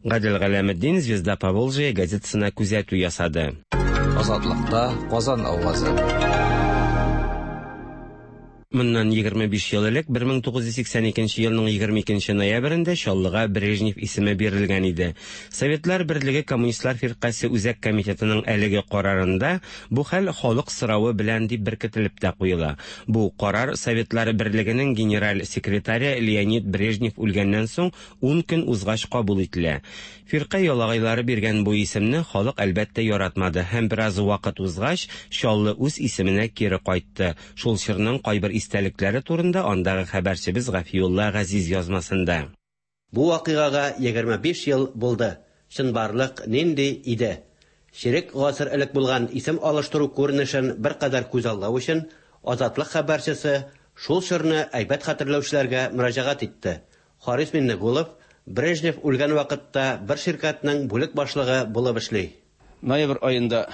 Гадел Галәметдин «Звезда Поволжья» газетасына күзәтү ясады. Азатлыкта Казан авазы. Моннан егерме биш ел элек бер мең тугыз йөз сиксән икенче елның егерме икенче ноябрендә Чаллыга Брежнев исеме бирелгән иде. Советлар Берлеге Коммунистлар фиркасе Үзәк комитетының әлеге карарында бу хәл халык соравы белән дип беркетелеп тә куела. Бу карар Советлар Берлегенең генераль секретаре Леонид Брежнев үлгәннән соң ун көн узгач кабул ителә. Фирка ялагайлары биргән бу исемне халык әлбәттә яратмады һәм бераз вакыт узгач Чаллы үз исеменә кире кайтты. Шул чорның кайбер истәлекләре турында андагы хәбәрчебез Гафиулла Газиз язмасында. Бу вакыйгага егерме биш ел булды. Чынбарлык нинди иде? Чирек гасыр элек булган исем алыштыру күренешен беркадәр күзаллау өчен Азатлык хәбәрчесе шул чорны әйбәт хәтерләүчеләргә мөрәҗәгать итте. Харис Миннегулов Брежнев үлгән вакытта бер ширкәтнең бүлек башлыгы булып эшли. Ноябрь аенда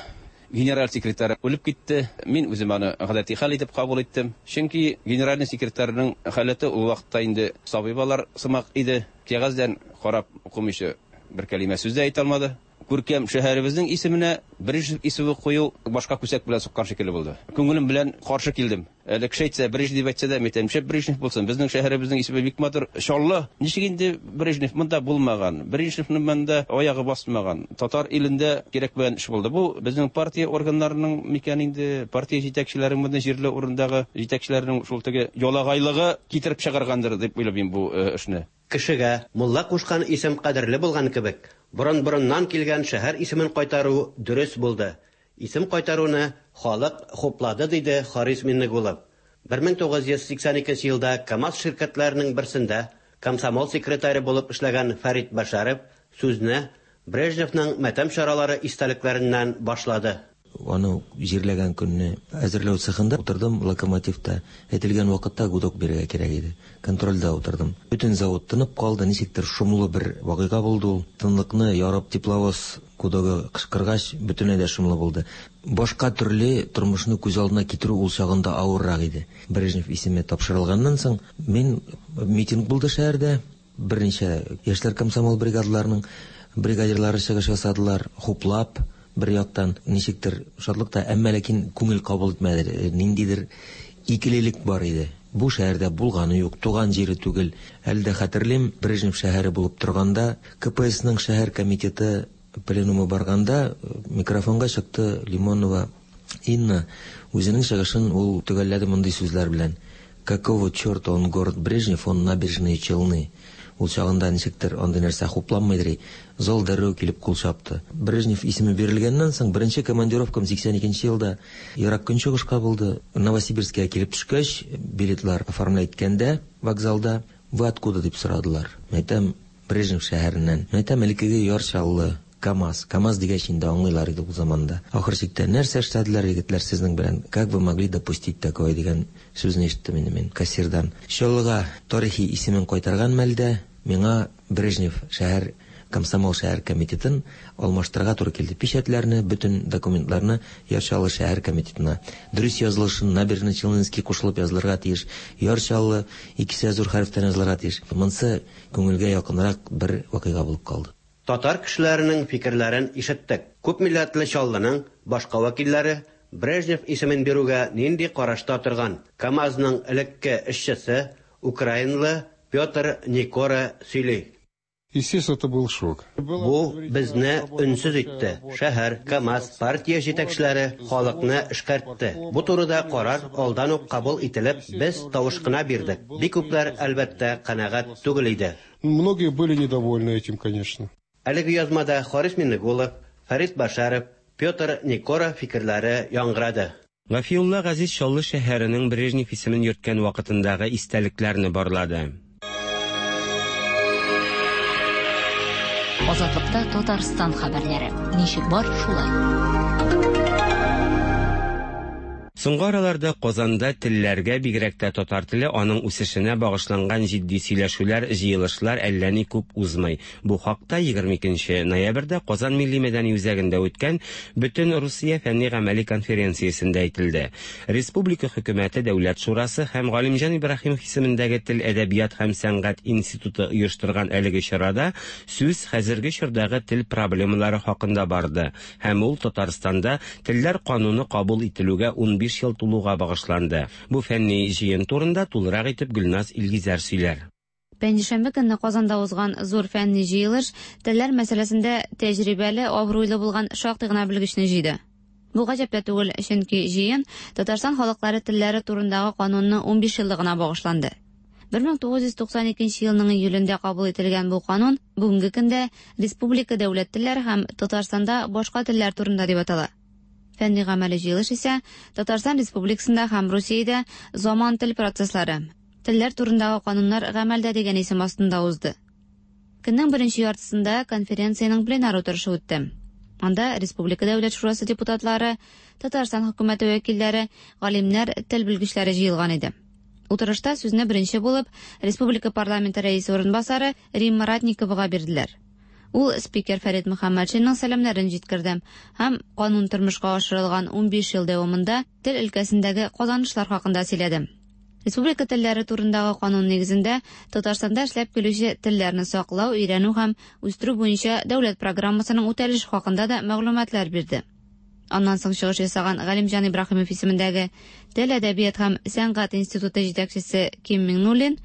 генераль секретарь үлеп китте. Мин үзем аны гадәти хәл итеп кабул иттем. Чөнки генеральный секретарьның халәте ул вакытта инде сабый балалар сымак иде. Кәгазьдән карап укымыйча бер кәлимә сүз дә әйтә алмады. Күркәм шәһәребезнең исеменә Брежнев исеме кую башка күсәк белән суккан шикелле булды. Күңелем белән каршы килдем. Әле кеше әйтсә, Брежнев әйтсә дә, мин әйтәм, шәп Брежнев булсын. Безнең шәһәребезнең исеме бик матур. Чаллы. Ничек инде Брежнев монда булмаган? Брежневның монда аягы басмаган. Татар илендә кирәкмәгән эш булды. Бу безнең партия органнарының микән инде, партия җитәкчеләренең монда җирле урындагы җитәкчеләрнең шул теге ялагайлыгы китереп чыгаргандыр дип уйлыйм бу эшне. Кешегә мулла кушкан исем кадерле булган кебек, борын-борыннан килгән шәһәр исемен кайтару дөрес булды. Исем кайтаруны халык хуплады, диде Харис Миннегулов. бер мең тугыз йөз сиксән икенче елда КАМАЗ ширкәтләренең берсендә комсомол секретаре булып эшләгән Фәрит Башаров сүзне Брежневның мәтәм чаралары истәлекләреннән башлады. Аны җирләгән көнне әзерләү цехында утырдым, локомотивта. Әйтелгән вакытта гудок бирергә кирәк иде. Контрольдә утырдым. Бөтен завод тынып калды, ничектер шомлы бер вакыйга булды ул. Тынлыкны ярып тепловоз гудогы кычкыргач, бөтенләй дә шомлы булды. Башка төрле тормышны күз алдына китерү ул чагында авыррак иде. Брежнев исеме тапшырылганнан соң мин митинг булды шәһәрдә. Берничә яшьләр комсомол бригадаларының бригадирлары чыгыш ясадылар, хуплап. Бер яктан ничектер шатлык та, әмма ләкин күңел кабул итмәде. Ниндидер икелелек бар иде. Бу шәһәрдә булганы юк, туган җире түгел. Әле дә хәтерлим, Брежнев шәһәре булып торганда, КПСның шәһәр комитеты пленумы барганда микрофонга чыкты Лимонова Инна. Үзенең чыгышын ул төгәлләде мондый сүзләр белән: «Какого черта он город Брежнев, он набережные Челны». Ул чагында ничектер андый нәрсә хупламыйдыр. Зал дәррәү килеп кул чапты. Брежнев исеме бирелгәннән соң беренче командировкам сиксән икенче елда Ерак Көнчыгышка булды. Новосибирскка килеп төшкәч, билетлар оформлять иткәндә вокзалда «Вы откуда?» дип сорадылар. Мәйтәм, Брежнев шәһәреннән. Мәйтәм, элеккеге Яр Чаллы, КАМАЗ. КАМАЗ дигәч инде аңлыйлар иде ул заманда. Ахыр чиктә нәрсә эшләделәр егетләр сезнең белән? Как вы могли допустить такое дигән сүзне ишеттем инде мин кассирдан. Чаллыга тарихи исемен кайтарган мәлдә миңа Брежнев шәһәр комсомол шәһәр комитетын алмаштырырга туры килде. Печатьләрне, бөтен документларны Яр Чаллы шәһәр комитетына. Дөрес язылышын Набережный Челнинский кушылып язылырга тиеш. Яр Чаллы икесе зур хәрефтән язылырга тиеш. Монсы күңелгә якынрак бер вакыйга булып калды. Татар кешеләренең фикерләрен ишеттек. Күп милләтле Чаллының башка вәкилләре Брежнев исемен бирүгә нинди карашта торган? КАМАЗның элекке эшчесе украинлы Петр Никора сөйли. Естественно, это был шок. Бу безне өнсез итте. Шәһәр, КАМАЗ, партия җитәкчеләре халыкны эшкәртте. Бу турыда карар алдан ук кабул ителеп, без тавыш кына бирдек. Бик күпләр, әлбәттә, канәгать түгел иде. Многие были недовольны этим, конечно. Әлеге язмада Харис Миннегулов, Фәрит Башаров, Петр Никора фикерләре яңгырады. Гафиулла Газиз Чаллы шәһәренең Брежнев исемен йөрткән вакытындагы истәлекләрне барлады. Азатлыкта Татарстан хәбәрләре. Ничек бар, шулай. Соңгы араларда Казанда телләргә, бигрәк тә татар теле, аның үсешенә багышланган җитди сөйләшүләр, җыелышлар әллә ни күп узмый. Бу хакта егерме икенче ноябрьдә Казан Милли мәдәни үзәгендә үткән Бөтен Русия фәнни-гамәли конференциясендә әйтелде. Республика хөкүмәте, Дәүләт шурасы һәм Галимҗан Ибраһимов исемендәге Тел, әдәбият һәм сәнгать институты оештырган әлеге чарада сүз хәзерге чордагы тел проблемалары хакында барды. Һәм ул Татарстанда телләр кануны кабул ителүгә ун биш ел тулуга багышланды. Бу фәнни җыен турында тулырак итеп Гөлназ Илгизәр сөйләр. Пәнҗешәмбе көнне Казанда узган зур фәнни җыелыш телләр мәсьәләсендә тәҗрибәле, абруйлы булган шактый гына белгечне җыйды. Бу гаҗәп тә түгел, чөнки җыен Татарстан халыклары телләре турындагы канунның ун биш еллыгына багышланды. бер мең тугыз йөз туксан икенче елның июлендә кабул ителгән бу канун бүгенге көндә республика дәүләт телләре һәм Татарстанда башка телләр турында дип атала. Фәнни гамәли җыелыш исә Татарстан Республикасында һәм Русиядә заман тел процесслары, телләр турындагы кануннар гамәлдә дигән исем астында узды. Көннең беренче яртысында конференциянең пленар утырышы үтте. Анда Республика Дәүләт шурасы депутатлары, Татарстан хөкүмәте вәкилләре, галимнәр, тел белгечләре җыелган иде. Утырышта сүзне беренче булып Республика парламенты рәисе урынбасары Римма Ратниковага бирделәр. Ул спикер Фәрит Мөхәммәтшинның сәламнәрен җиткерде һәм канун тормышка ашырылган ун биш ел дәвамында тел өлкәсендәге казанышлар хакында сөйләде. Республика телләре турындагы канун нигезендә Татарстанда эшләп килүче телләрне саклау, өйрәнү һәм үстерү буенча дәүләт программасының үтәлеше хакында да мәгълүматлар бирде. Аннан соң чыгыш ясаган Галимҗан Ибраһимов исемендәге Тел, әдәбият һәм сәнгать институты җитәкчесе Ким Миңнуллин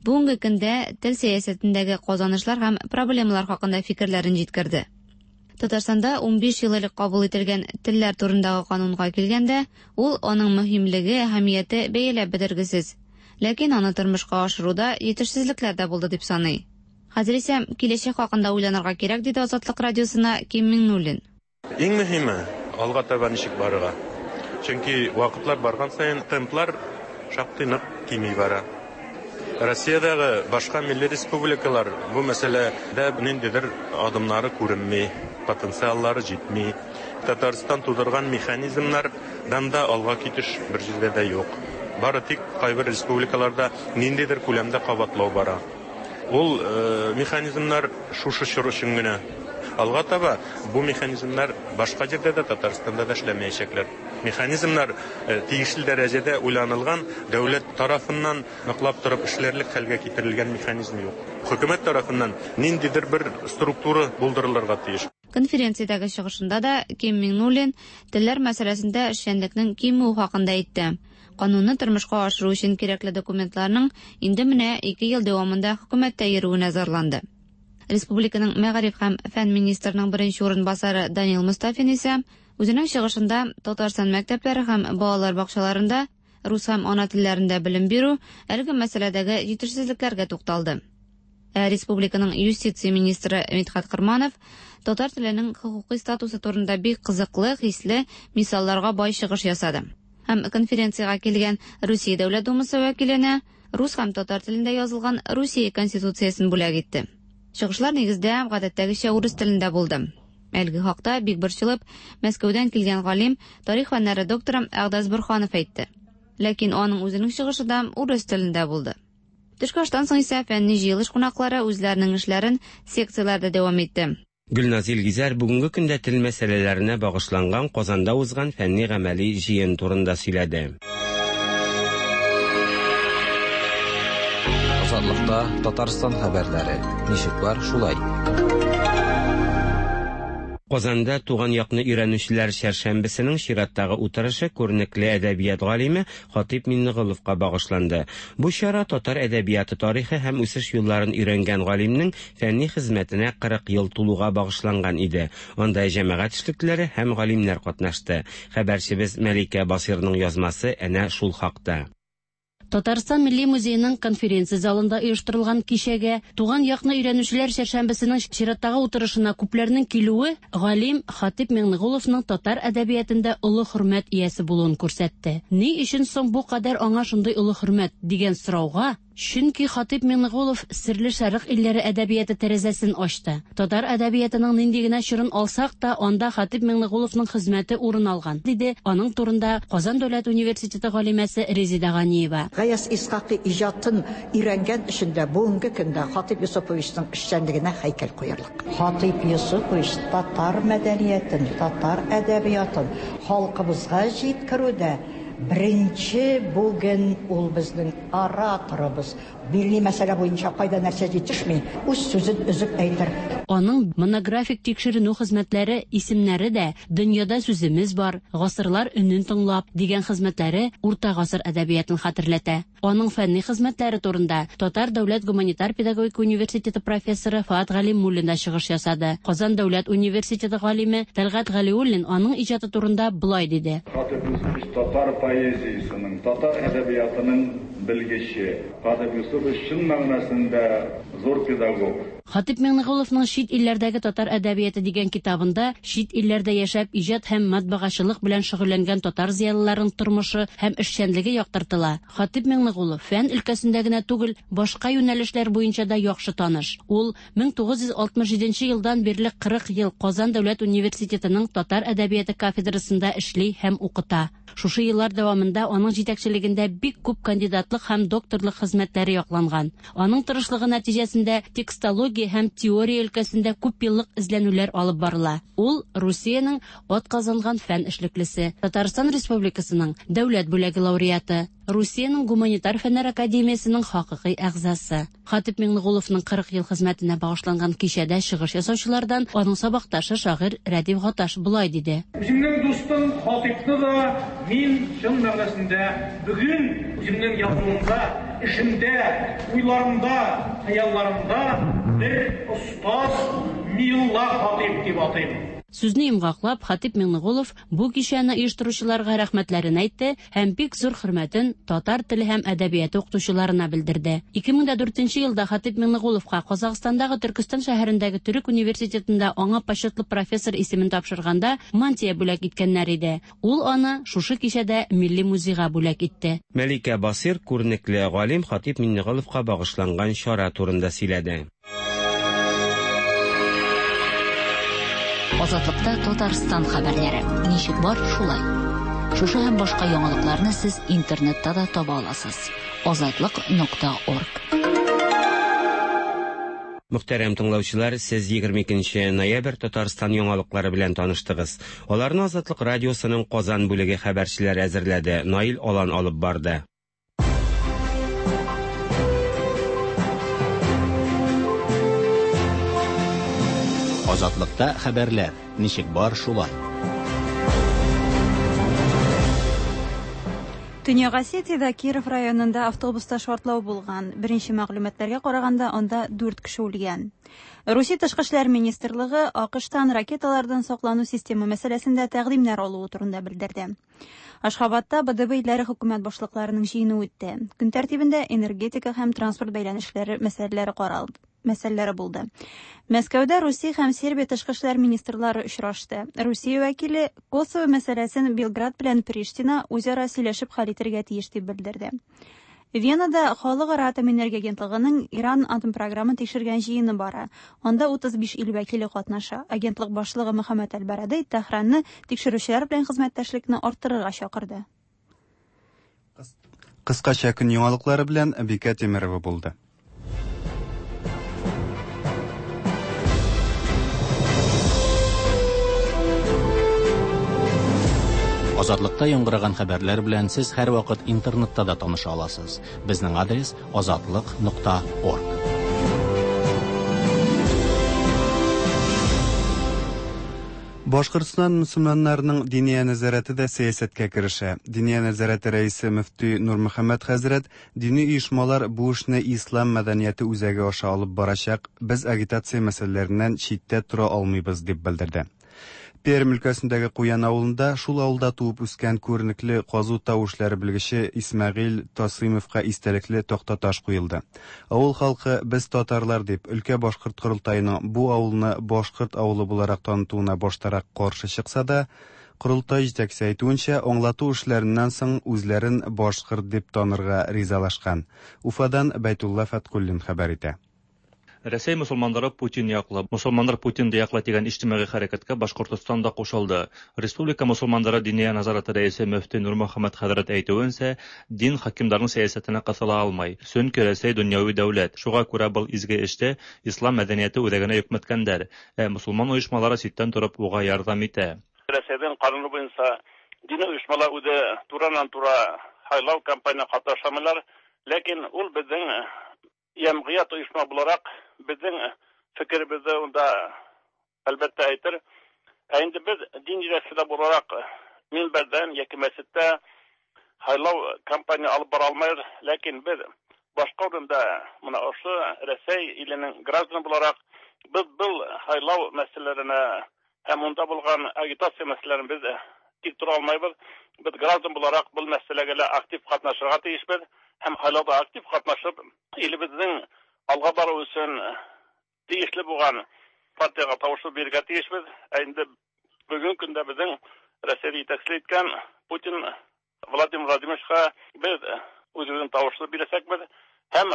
бүгенге көндә тел сәясәтендәге казанышлар һәм проблемалар хакында фикерләрен җиткерде. Татарстанда унбиш ел элек кабул ителгән телләр турындагы канунга килгәндә, ул аның мөһимлеге, әһәмияте бәяләп бетергесез. Ләкин аны тормышка ашыруда җитешсезлекләр дә булды дип саный. Хәзер исә киләчәк хакында уйланырга кирәк, диде Азатлык радиосына Ким Миңнуллин. Иң мөһиме алга таба ничек барырга. Чөнки вакытлар барган саен темплар шактый нык кими бара. Россиядәге башка милли республикалар бу мәсьәләдә ниндидер адымнары күренми, потенциаллары җитми. Татарстан тудырган механизмнардан да алга китеш бер җирдә дә юк. Бары тик кайбер республикаларда ниндидер күләмдә кабатлау бара. Ул э, механизмнар шушы чор өчен генә. Алга таба бу механизмнар башка җирдә дә, Татарстанда да эшләмәячәкләр. Механизмнар э, тиешле дәрәҗәдә уйланылган, дәүләт тарафыннан ныклап торып эшләрлек хәлгә китерелгән механизм юк. Хөкүмәт тарафыннан ниндидер бер структура булдырылырга тиеш. Конференциядәге чыгышында да Ким Миңнуллин телләр мәсьәләсендә эшчәнлекнең кимүе хакында әйтте. Канунны тормышка ашыру өчен кирәкле документларның инде менә ике ел дәвамында хөкүмәттә йөрүенә зарланды. Республиканың мәгариф һәм фән министрының беренче урынбасары Данил Мустафин исә үзенең чыгышында Татарстан мәктәпләре һәм балалар бакчаларында рус һәм ана телләрендә белем бирү әлеге мәсьәләдәге җитешсезлекләргә тукталды. Ә республиканың юстиция министры Мидхәт Кырманов татар теленең хокукый статусы турында бик кызыклы, хисле мисалларга бай чыгыш ясады. Һәм конференциягә килгән Русия Дәүләт Думасы вәкиленә рус һәм татар телендә язылган Русия Конституциясен бүләк итте. Чыгышлар нигездә гадәттәгечә урыс телендә булды. Әлеге хакта бик борчылып Мәскәүдән килгән галим, тарих фәннәре докторы Әгъдәс Борһанов әйтте. Ләкин аның үзенең чыгышы да урыс телендә булды. Төшке аштан соң исә фәнни җыелыш кунаклары үзләренең эшләрен секцияләрдә дәвам итте. Гөлназ Илгизәр бүгенге көндә тел мәсьәләләренә багышланган Казанда узган фәнни гамәли җыен турында сөйләде. Азатлыкта Татарстан хәбәрләре. Ничек бар, шулай. Казанда туган якны өйрәнүчеләр чәршәмбесенең чираттагы утырышы күренекле әдәбият галиме Хатип Миңнеголовка багышланды. Бу чара татар әдәбияты тарихы һәм үсеш юлларын өйрәнгән галимнең фәнни хезмәтенә кырык ел тулуга багышланган иде. Анда җәмәгать эшлеклеләре һәм галимнәр катнашты. Хәбәрчебез Мәликә Басирның язмасы әнә шул хакта. Татарстан Милли музееның конференция залында оештырылган кичәгә туган якны өйрәнүчеләр чәршәмбесенең чираттагы утырышына күпләрнең килүе галим Хатип Миңнеголовның татар әдәбиятында олы хөрмәт иясе булуын күрсәтте. Ни өчен соң бу кадәр аңа шундый олы хөрмәт дигән сорауга, чөнки Хатип Миңнеголов серле шәрык илләре әдәбияты тәрәзәсен ачты. Татар әдәбиятының нинди генә чорын алсак та, анда Хатип Миңнеголовның хезмәте урын алган, диде аның турында Казан дәүләт университеты галимәсе Резида Ганиева. Гаяз Исхакый иҗатын өйрәнгән өчен дә бүгенге көндә Хатип Юсуповичның эшчәнлегенә һәйкәл куярлык. Хатип Юсупович татар мәдәниятен, татар әдәбиятын халкыбызга җиткерүдә беренче бүген ул безнең ораторыбыз. Милли мәсьәлә буенча кайда нәрсә җитешми, үз сүзен өзеп әйтер. Аның монографик тикшеренү хезмәтләре исемнәре дә «Дөньяда сүземез бар», «Гасырлар өнен тыңлап» дигән хезмәтләре урта гасыр әдәбиятын хәтерләтә. Аның фәнни хезмәтләре турында Татар дәүләт гуманитар педагогика университеты профессоры Фаат Галимуллин да чыгыш ясады. Казан дәүләт университеты галиме Тәлгать Галиуллин аның иҗаты турында болай диде. Хатип Юсупович татар поэзиясының, татар әдәбиятының белгече. Хатип Юсупович чын мәгънәсендә зур педагог. Хатип Миңнеголовның «Чит илләрдәге татар әдәбияты» дигән китабында чит илләрдә яшәп иҗат һәм матбагачылык белән шөгыльләнгән татар зыялыларының тормышы һәм эшчәнлеге яктыртыла. Хатип Миңнеголов фән өлкәсендә генә түгел, башка юнәлешләр буенча да яхшы таныш. Ул мең тугыз йөз алтмыш җиденче елдан бирле кырык ел Казан дәүләт университетының татар әдәбияты кафедрасында эшли һәм укыта. Шушы еллар дәвамында аның җитәкчелегендә бик күп кандидатлык һәм докторлык хезмәтләре якланган. Аның тырышлыгы нәтиҗәсендә текстология Филология һәм теория өлкәсендә күпьеллык эзләнүләр алып барыла. Ул Русиянең атказанган фән эшлеклесе, Татарстан Республикасының дәүләт бүләге лауреаты, Русиянең гуманитар фәннәр академиясенең хакыйкый әгъзасы. Хатип Миңнеголовның кырык ел хезмәтенә багышланган кичәдә чыгыш ясаучылардан аның сабакташы шагыйрь Рәдиф Гаташ болай диде. Үземнең дустым Хатипны да мин чын мәгънәсендә бүген үземнең язуымда, эшемдә, уйларымда, хыялларымда бер остаз Милла Хатип дип атыйм. Сүзне йомгаклап, Хатип Миңнеголов бу кичәне оештыручыларга рәхмәтләрен әйтте һәм бик зур хөрмәтен татар теле һәм әдәбияты укытучыларына белдерде. ике мең дә дүртенче елда Хатип Миңнеголовка Казахстандагы Төркестан шәһәрендәге Төрек университетында аңа почетлы профессор исемен тапшырганда мантия бүләк иткәннәр иде. Ул аны шушы кичәдә Милли музейга бүләк итте. Мәликә Басир күренекле галим Хатип Миңнеголовка багышланган чара турында сөйләде. Азатлыкта Татарстан хәбәрләре. Ничек бар, шулай. Шушы һәм башка яңалыкларны сез интернетта да таба аласыз. азатлык нокта орг. Мөхтәрәм тыңлаучылар, сез егерме икенче ноябрь Татарстан яңалыклары белән таныштыгыз. Аларны Азатлык радиосының Казан бүлеге хәбәрчеләре әзерләде. Наил Алан алып барды. Азатлыкта хәбәрләр. Ничек бар, шулай. Төньяк Осетиядә Киров районында автобуста шартлау булган. Беренче мәгълүматларга караганда, анда дүрт кеше үлгән. Русия Тышкы эшләр министрлыгы АКШтан ракеталардан саклану системы мәсьәләсендә тәкъдимнәр алуы турында белдерде. Ашхабадта Б Д Б илләре хөкүмәт башлыкларының җыены үтте. Көн тәртибендә энергетика һәм транспорт бәйләнешләре мәсьәләләре каралды. Мәсьәләләре булды. Мәскәүдә Русия һәм Сербия тышкы эшләр министрлары очрашты. Русия вәкиле Косово мәсьәләсен Белград белән Приштина үзара сөйләшеп хәл итәргә тиеш дип белдерде. Венада Халыкара атом энергия агентлыгының Иран атом програмын тикшергән җыены бара. Анда утыз биш ил вәкиле катнаша. Агентлык башлыгы Мөхәммәд Әл-Барадей Тәһранны тикшерүчеләр белән хезмәттәшлекне арттырырга чакырды. Кыскача көн яңалыклары белән Бикә Тимирова булды. Азатлыкта яңгыраган хәбәрләр белән сез һәрвакыт интернетта да таныша аласыз. Безнең адрес азатлык нокта орг. Башкортстан мөселманнарының диния нәзарәте дә сәясәткә керешә. Диния нәзарәте рәисе мөфти Нурмөхәммәт хәзрәт дини оешмалар бу эшне ислам мәдәнияте үзәге аша алып барачак, без агитация мәсьәләләреннән читтә тора алмыйбыз дип белдерде. Пермь өлкәсендәге Куян авылында шул авылда туып үскән күренекле казу тау эшләре белгече Исмәгыйль Тасыймовка истәлекле тактаташ куелды. Авыл халкы без татарлар дип өлкә башкорт корылтаеның бу авылны башкорт авылы буларак танытуына баштарак каршы чыкса да, корылтай җитәкчесе әйтүенчә, аңлату эшләреннән соң үзләрен башкорт дип танырга ризалашкан. Уфадан Бәйтулла Фәткуллин хәбәр итә. Рәсәй мусулманнары Путин яклы, мусулманнар Путин яклы дигән иҗтимагый хәрәкәткә Башкортостан да кушылды. Республика мусулманнары диния назараты рәисе мөфти Нурмөхәммәт хәзрәт әйтүенчә, дин хакимдарның сәясәтенә кысыла алмай. Чөнки Рәсәй дөньяви дәүләт. Шуңа күрә был изге эштә ислам мәдәнияте үзәгенә йөкмәткәндәр. Ә мусулман оешмалары читтән торып уга ярдәм итә. Рәсәйдән кануны буенча дини оешмалар үзе тураннан-тура һайлау кампаниясенә катнашамыйлар, ләкин ул безнең җәмгыять оешма буларак безнең фикеребезне унда әлбәттә әйтер. Ә инде без дин җитәкчеләре буларак минбәрдән яки мәчеттә һайлау кампания алып бара алмыйбыз, ләкин без башка урында менә ошо Рәсәй иленең гражданы буларак без был һайлау мәсьәләләренә һәм унда булган агитация мәсьәләләрен без тик тора алмыйбыз. Без граждан буларак был мәсьәләгә лә актив катнашырга тиешбез һәм һайлауда актив катнашып илебезнең алга бару өчен тиешле булган партиягә тавыш бирергә тиешбез. Ә инде бүгенге көндә безнең Рәсәй җитәкчелек иткән Путин Владимир Владимировичка без үзебезнең тавышны бирәчәкбез һәм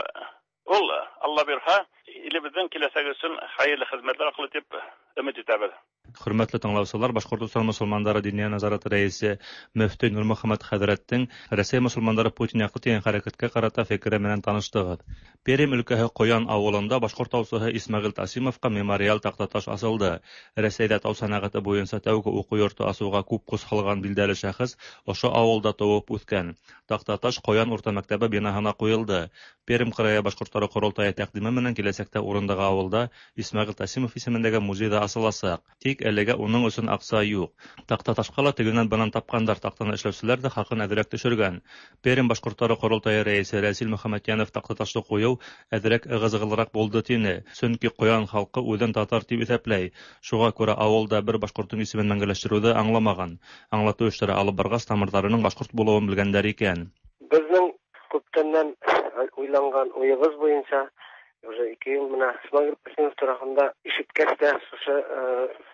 ул Алла бирһә илебезнең киләчәге өчен хәерле хезмәтләр кылыр дип өмет итәбез. Хөрмәтле тыңлаучылар, Башкортостан мөселманнары Диния назараты рәисе мөфти Нурмөхәммәт хәҙрәттең Рәсәй мөселмандары Путин яҡлы тигән хәрәкәткә ҡарата фекере менән таныштығыҙ. Пермь өлкәһе Ҡоян ауылында башҡорт таусыһы Исмәғил Тасимовҡа мемориал таҡтаташ асылды. Рәсәйҙә тау сәнәғәте буйынса тәүге уҡыу йорто асыуға күп көс һалған билдәле шәхес ошо ауылда тыуып үҫкән. Таҡтаташ Ҡоян урта мәктәбе бинаһына ҡуйылды. Пермь крайы башҡорттары ҡоролтайы тәҡдиме менән киләсәктә урындағы ауылда Исмәғил Тасимов исемендәге музей ҙа асыласаҡ. Тик әлегә уның өсөн аҡса юҡ. Таҡтаташҡа ла тегенән бынан тапҡандар, таҡтаны эшләүселәр ҙә хаҡын әҙерәк төшөргән. Пермь башҡорттары ҡоролтайы рәйесе Рәсил Мөхәммәтйәнов таҡтаташты ҡуйыу әҙерәк ығы-зығылыраҡ булды тине. Сөнки Ҡоян халҡы үҙен татар тип иҫәпләй. Шуға күрә ауылда бер башҡорттоң исемен мәңгеләштереүҙе аңламаған. Аңлатыу эштәре алып барғас, тамырҙарының башҡорт булыуын белгәндәр икән. Беҙҙең күптәннән уйланған уйыбыҙ буйынса уже ике йыл менә Исмәғил Тасимов тураһында ишеткәс тә шушы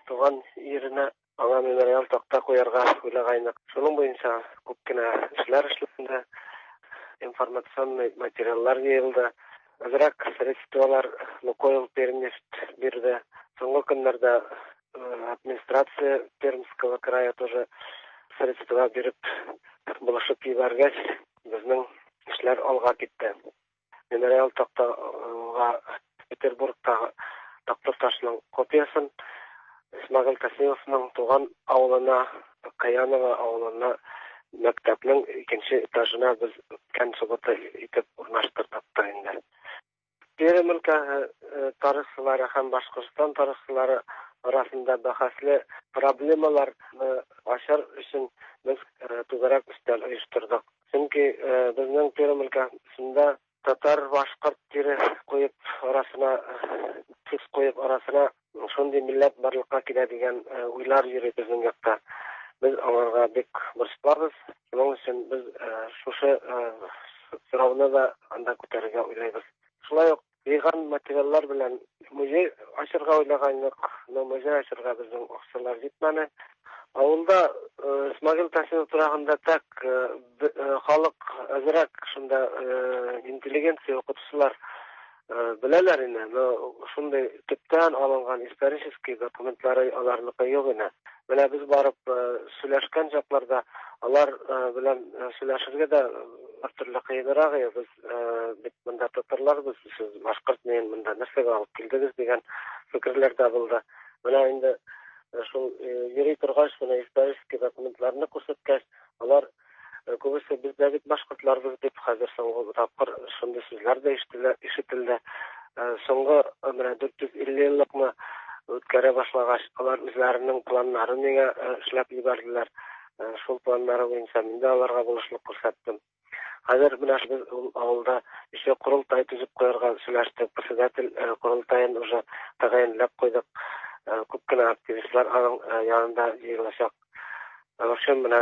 туған еренә аңа мемориал таҡта ҡуярға уйлағайныҡ. Шуның буйынса күп кенә эшләр эшләнде, информационный материаллар йыйылды, әҙерәк средстволар Лукойл Пермнефть бирҙе. Һуңғы көндәрҙә администрация Пермского края тоже средства биреп булышып ебәргәс, беҙҙең эшләр алға китте. Мемориал таҡтаға Петербургтағы таҡтаташының копиясын Исмәғил Тасимовның туған ауылына, Ҡаянова ауылына, мәктәпнең икенсе этажына беҙ үткән суббота итеп урнаштырҙыҡ та инде. Пермь өлкәһе тарихсылары һәм Башҡортостан тарихсылары араһында бәхәсле проблемаларны асыр өсөн беҙ түгәрәк өҫтәл ойошторҙоҡ. Сөнки беҙҙең Пермь өлкәһендә татар башҡорт тире ҡуйып арасына, төҫ ҡуйып арасына шундай милләт барлыҡҡа килә тигән уйлар йөрөй беҙҙең яҡта. Беҙ аларға бик борсолабыҙ. Шуның өсөн беҙ шушы һорауны да анда күтәрергә уйлайбыҙ. Шулай уҡ йыйған материаллар белән музей асырға уйлағайныҡ, но музей асырға беҙҙең аҡсалар етмәне. Ауылда Исмәғил Тасимов тураһында так халыҡ әҙерәк шунда интеллигенция уҡытыусылар беләләр ине, но шундай төптән алынған исторический документлары аларныҡы юҡ ине. Менә беҙ барып һөйләшкән саҡларҙа алар белән һөйләшергә дә бер төрлө ҡыйыныраҡ ине. Беҙ бит бында татарларбыҙ, һеҙ башҡорт менән бында нәрсәгә алып килдегеҙ тигән фекерләр ҙә булды. Менә инде шул йөрөй торғас, бына исторический документларны күрһәткәс, алар күбесе беҙ ҙә бит башҡортларбыҙ тип хәҙер һуңғы тапҡыр шундай һүҙҙәр ҙә ишетелде. Һуңғы менә дүрт йөҙ илле йыллыҡны үткәрә башлағас, алар үҙҙәренең планнарын миңә эшләп ебәрҙеләр. Шул планнары буйынса мин дә аларға булышлыҡ күрһәттем. Хәҙер менә беҙ ул ауылда еще ҡоролтай төҙөп ҡуйырға һөйләштек. Председатель ҡоролтайын уже тәғәйенләп ҡуйҙыҡ. Күп кенә активистлар аның янында йыйыласаҡ. В общем, менә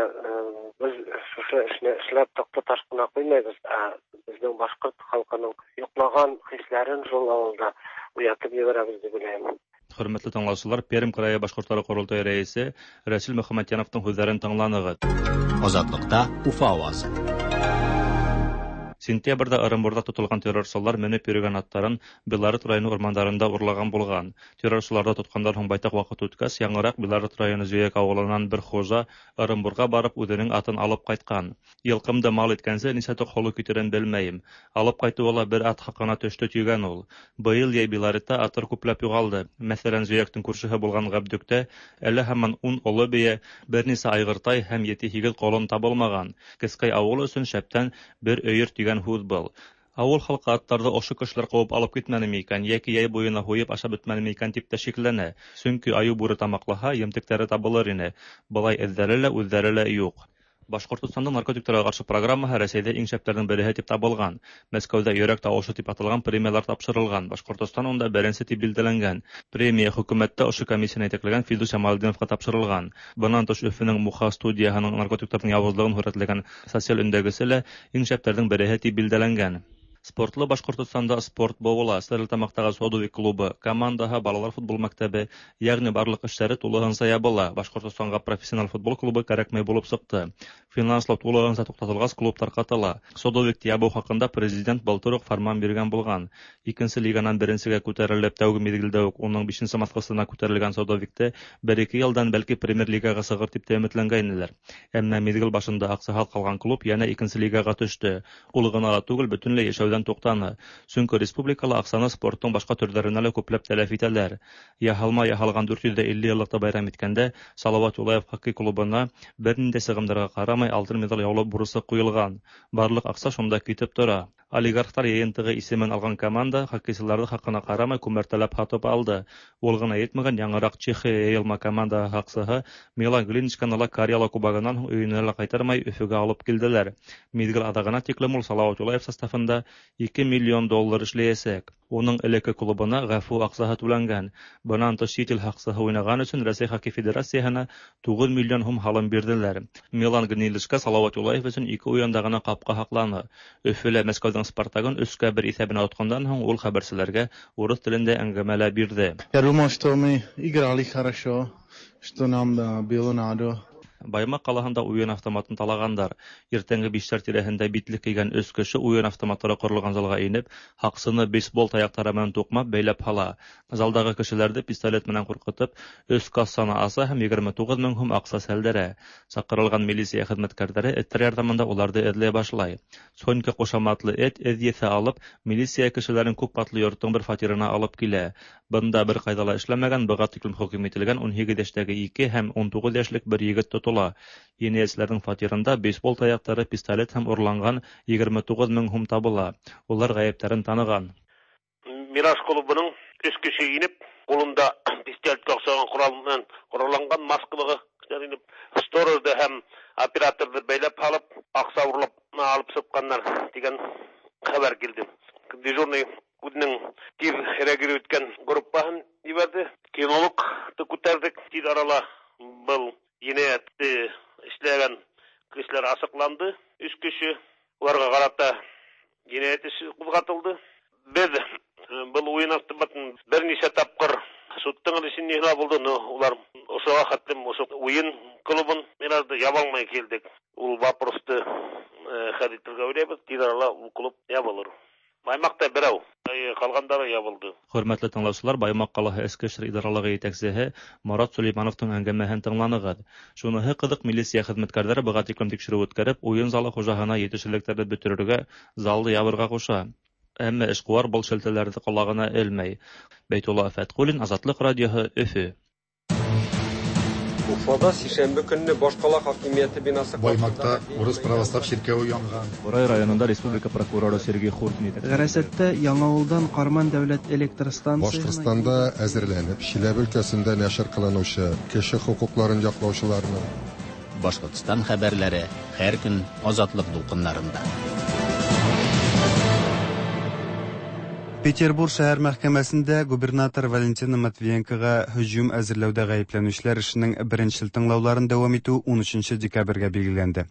беҙ шушы эшне эшләп таҡта ҡына ҡуймайбыҙ, ә беҙҙең башҡорт халҡының йоҡлаған хисләрен шул ауылда уятып ебәрәбеҙ тип уйлайым. Хөрмәтле тыңлаусылар, Пермь крайы башҡорттары ҡоролтайы рәйесе Рәсил Мөхәммәтйәновтың һүҙҙәрен тыңланығыҙ. Азатлыҡта Уфа ауазы. Сентябрҙә Ырымбурҙа тотолған террорсылар менеп йөрөгән аттарын Белорет районы урмандарында урлаған булған. Террорсыларҙы тотҡандан һуң байтаҡ ваҡыт үткәс, яңыраҡ Белорет районы Зөйәк ауылынан бер хужа Ырымбурға барып үҙенең атын алып ҡайтҡан. Йылҡымды мал иткәнсе нисә тоҡ һоло китерен белмәйем. Алып ҡайтыуы ла бер ат хаҡына төштө тигән ул. Быйыл йәй Белоретта аттар күпләп юғалды. Мәҫәлән, Зөйәктең күршеһе булған Ғәбдүктә әле һаман ун оло бейә, бер нисә айғыртай һәм ете-һигеҙ ҡолон табылмаған. Кескәй ауыл өсөн шәптән бер өйөр тигән һүҙ был. Ауыл халҡы аттарҙы ошо кешеләр ҡыуып алып китмәнеме икән, йәки йәй буйына һуйып ашап бөтмәнеме икән тип тә шикләнә. Сөнки айыу бүре тамаҡлаһа, емтектәре табылыр ине. Былай эҙҙәре лә, үҙҙәре лә юҡ. Башҡортостандың наркотиктарға ҡаршы программаһы Рәсәйҙә иң шәптәрҙең береһе тип табылған. Мәскәүҙә йөрәк тауышы тип аталған премиялар тапшырылған. Башҡортостан унда беренсе тип билдәләнгән. Премия хөкүмәттә ошо комиссияны етәкләгән Филдус Ямалетдиновҡа тапшырылған. Бынан тыш Өфөнөң Муха студияһының наркотиктарҙың яуызлығын һүрәтләгән социаль өндәгесе лә иң шәптәрҙең береһе тип билдәләнгән. Спортлы Башҡортостанда спорт быуыла. Стәрлетамаҡтағы Содовик клубы, командаһы, балалар футбол мәктәбе, йәғни барлыҡ эштәре тулыһынса ябыла. Башҡортостанға профессионал футбол клубы кәрәкмәй булып сыҡты. Финанслау тулыһынса туҡтатылғас, клуб тарҡатыла. Содовикты ябыу хаҡында президент былтыр уҡ фарман биргән булған. Икенсе лиганан беренсегә күтәрелеп, тәүге миҙгелдә үк уның бишенсе баҫҡысына күтәрелгән Содовикты бер-ике йылдан бәлки премьер-лигаға сығыр тип тә өмөтләнгәйнеләр. Әммә миҙгел башында аҡсаһыҙ ҡалған клуб йәнә икенсе лигаға төштө. Ул ғына ла түгел, бөтөнләй йәшәүҙән туҡтаны. Сөнки республикала аҡсаны спорттың башҡа төрҙәренә лә күпләп тәләф итәләр. Яһалма яһалған дүрт йөҙ илле йыллыҡты байрам иткәндә Салават Юлаев хоккей клубына бер ниндәй сығымдарға ҡарамай алтын миҙал яулау бурысы ҡуйылған. Барлыҡ аҡса шунда китеп тора. Олигархтар йыйынтығы исемен алған команда хоккейсыларҙы хаҡына ҡарамай күмәртәләп һатып алды. Ул ғына етмәгән, яңыраҡ Чехия йыйылма командаһы һаҡсыһы Милан Глиничканы ла Карьяла кубогынан һуң өйөнә лә ҡайтармай Өфөгә алып килделәр. Миҙгел аҙағына тиклем ул Салават Юлаев составында ике миллион доллар эшләйәсәк. Уның элекке клубына ғәфү аҡсаһы түләнгән. Бынан тыш сит ил һаҡсыһы уйнаған өсөн Рәсәй хоккей федерацияһына туғыҙ миллион һум һалым бирҙеләр. Милан Гнилишка Салават Юлаев өсөн ике уйында ғына ҡапҡа һаҡланы. Өфөлә Мәскәүҙең Спартагын өскә бер иҫәбенә отҡандан һуң ул хәбәрселәргә урыҫ телендә әңгәмә лә бирҙе. Я думал, что мы играли хорошо, что нам было надо. Баймаҡ ҡалаһында уйын автоматын талағандар. Иртәнге биштәр тирәһендә битлек кейгән өс кеше уйын автоматтары ҡоролған залға инеп, һаҡсыны бейсбол таяҡтары менән туҡмап бәйләп һала. Залдағы кешеләрҙе пистолет менән ҡурҡытып, өс кассаны аса һәм егерме туғыҙ мең һум аҡса сәлдерә. Саҡырылған милиция хеҙмәткәрҙәре эттәр ярҙамында уларҙы эҙләй башлай. Сонька ҡушаматлы эт эҙ еҫе алып, милиция кешеләрен күп ҡатлы йорттоң бер фатирына алып килә. Бында бер ҡайҙа ла эшләмәгән, быға тиклем хөкөм ителгән ун һигеҙ йәштәге ике һәм ун туғыҙ йәшлек бер егет тотола. Енәйәтселәрҙең фатирында бейсбол таяҡтары, пистолет һәм урланған егерме туғыҙ мең һум табыла. Улар ғәйептәрен таныған. Мираж клубының өс кеше инеп, ҡулында пистолетҡа оҡшаған ҡорал менән ҡоралланған маскалығы кешеләр инеп, сторожды һәм операторҙы бәйләп һалып, аҡса урлап алып сыҡҡандар тигән хәбәр килде. Дежурный үҙенең тиҙ реагировать иткән группаһын ебәрҙе. Кинологты күтәрҙек. Тиҙ арала был енәйәтте эшләгән кешеләр асыҡланды. Өс кеше, уларға ҡарата енәйәт эше ҡуҙғатылды. Беҙ был уйын автоматын бер нисә тапҡыр судтың эшен ниһлә булды, но улар ошоға хәтлем ошо уйын клубын Миражды яба алмай килдек. Ул вопросты хәл итергә уйлайбыҙ. Тиҙ арала ул клуб ябылыр. Баймаҡта берәү, ҡалғандары ябылды. Хөрмәтле тыңлаусылар, Баймаҡ ҡалаһы Эске эштәр идаралығы етәксеһе Марат Сулеймановтың әңгәмәһен тыңланығыҙ. Шуныһы ҡыҙыҡ, милиция хеҙмәткәрҙәре быға тиклем тикшереү үткәреп, уйын залы хужаһына етешһеҙлектәрҙе бөтөрөргә, залды ябырға ҡуша. Әммә эшҡыуар был шелтәләрҙе ҡолағына элмәй. Бәйтулла Фәтҡуллин, Азатлыҡ радиоһы, Өфө. Уфада сишәмбе көнне башҡала хакимиәте бинасы Баймаҡта урыҫ православ ширкәүе янған. Бурай районында республика прокуроры Сергей Хуртин етәкселек. Ғәрәсәттә Яңауылдан Ҡарман дәүләт электр станцияһына Башҡортостанда әҙерләнеп, Чиләбе өлкәсендә нәшер ҡылыныусы кеше хоҡуҡларын яҡлаусыларының Башҡортостан хәбәрләре һәр көн Азатлыҡ дулҡындарында. Петербург шәһәр мәхкәмәсендә губернатор Валентина Матвиенкоға һөжүм әзерләүҙә ғәйепләнеүселәр эшенең беренсел тыңлауларын дауам итеү ун өсөнсө декабргә билгеләнде.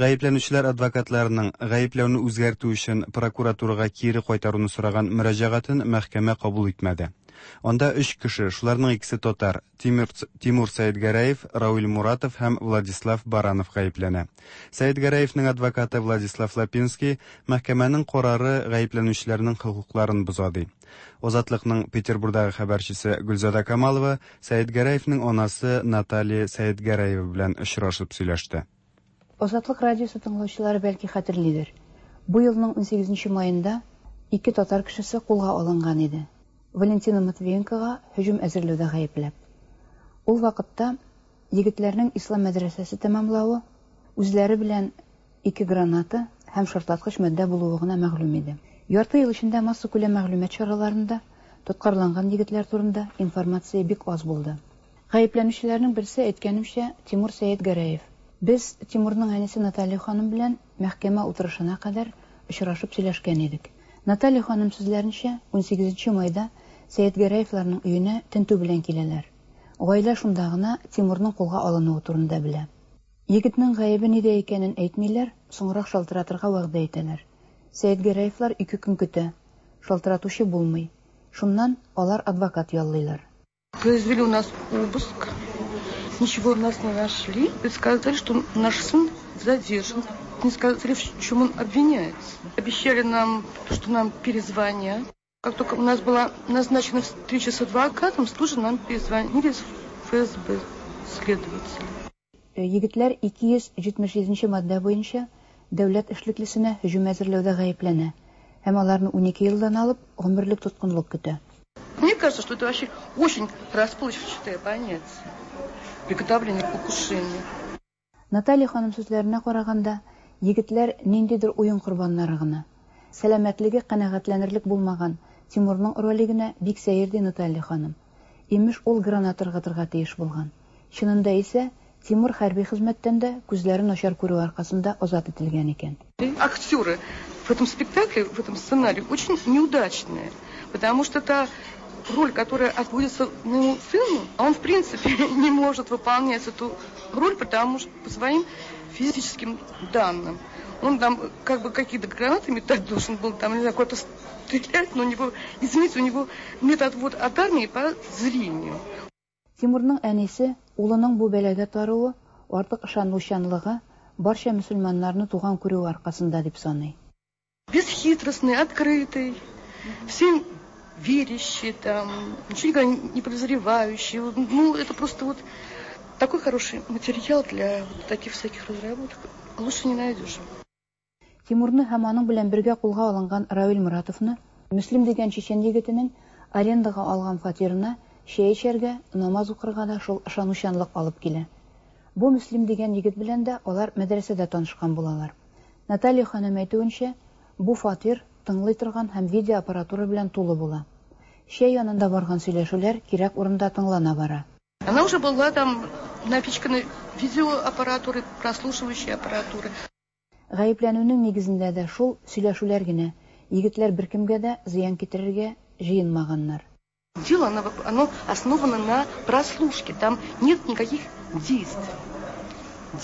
Ғәйепләнеүселәр адвокатларының ғәйепләүне үзгәртеү өсөн прокуратураға кире ҡайтарыуны сораған мөрәжәғәтен мәхкәмә ҡабул итмәде. Анда өс кеше, шуларның икесе татар, Тимур, Тимур Сәйетгәрәев, Рауил Муратов һәм Владислав Баранов ғәйепләнә. Сәйетгәрәевнең адвокаты Владислав Лапинский мәхкәмәнең ҡарары ғәйепләнеүселәрнең хоҡуҡларын боҙа ди. Азатлыҡның Петербургдағы хәбәрсесе Гөлзада Камалова Сәйетгәрәевнең анасы Наталья Сәйетгәрәева белән осрашып сөйләште. Азатлык радиосы тыңлаучылары бәлки хәтерлидер. Бу елның ун сигеҙенсе майында ике татар кешесе ҡулға алынған иде. Валентина Матвиенкоға һөжүм әҙерләүҙә ғәйепләп. Ул ваҡытта егетләрнең ислам мәҙрәсәсе тәмамлауы, үзләре белән ике граната һәм шартлатҡыс матдә булыуы ғына мәғлүм иде. Ярты йыл эсендә массакүләм мәғлүмәт сараларында тотҡарланған егетләр турында информация бик аҙ булды. Ғәйепләнеүселәрнең берсе, әйткәнемсә, Тимур Сәйетгәрәев. Беҙ Тимурның әнисе Наталья ханым белән мәхкәмә ултырышына ҡәҙәр осрашып һөйләшкән инек. Наталья ханым сүҙләренсә, ун һигеҙенсе майҙа Сәйетгәрәевләрнең өйөнә тентеү белән киләләр. Ғаилә шунда ғына Тимурның ҡулға алыныуы турында белә. Егетнең ғәйебе ниҙә икәнен әйтмәйләр, соңыраҡ шалтыратырға вәғәҙә итәләр. Сәетгәрәевлар ике көн көтә. Шалтыратучы булмый. Шуннан алар адвокат яллыйлар. Произвели у нас обыск. Ничего у нас не нашли. И сказали, что наш сын задержан. Не сказали, в чем он обвиняется. Обещали нам, что нам перезвонят. Как только у нас была назначена встреча с адвокатом, тут же нам перезвонили с Ф С Б следователи. Егетләр ике йөз җитмеш җиденче маддә буенча дәүләт эшлеклесенә һөҗүм әзерләүдә гаепләнә һәм аларны унике елдан алып гомерлек тоткынлык көтә. Мне кажется, что это вообще очень расплывчатое понятие. Приготовление к покушению. Наталья ханым сүзләренә караганда, егетләр ниндидер уен корбаннары гына. Сәламәтлеге канәгатьләнерлек булмаган Тимурның роле генә бик сәер, ди Наталья ханым. Имеш, ул граната ыргытырга тиеш булган. Чынында исә Тимур хәрби хезмәттән дә күзләре начар күрү аркасында азат ителгән икән. Актеры в этом спектакле, в этом сценарии очень неудачные, потому что та роль, которая отводится моему сыну, он в принципе не может выполнять эту роль, потому что по своим физическим данным. Он там как бы какие-то гранаты метать должен был, там, не знаю, куда-то стрелять, но у него, извините, у него нет отвод от армии по зрению. Тимурның әнисе улының бу бәлагә таруы артык ышанучанлыгы, барча мөселманнарны туган күрүе аркасында дип саный. Бесхитростный, открытый, всем верящий, там, ничего никогда не подозревающий. Ну, это просто вот такой хороший материал для вот таких всяких разработок. Лучше не найдешь. Тимурны һәм аның белән бергә кулга алынган Равил Муратовны Мөслим дигән чечен егетенең арендага алган фатирына чәй эчәргә, намаз укырга да шул ышанучанлык алып килә. Бу Мөслим дигән егет белән дә алар мәдрәсәдә танышкан булалар. Наталья ханым әйтүенчә, бу фатир тыңлый торган һәм видеоаппаратура белән тулы була. Чәй янында барган сөйләшүләр кирәк урында тыңлана бара. Она уже была там напичкана видеоаппаратурой, прослушивающей аппаратурой. Гаепләнүнең нигезендә дә шул сөйләшүләр генә. Егетләр беркемгә дә зыян китерергә җыенмаганнар. Дело, оно, оно основано на прослушке. Там нет никаких действий.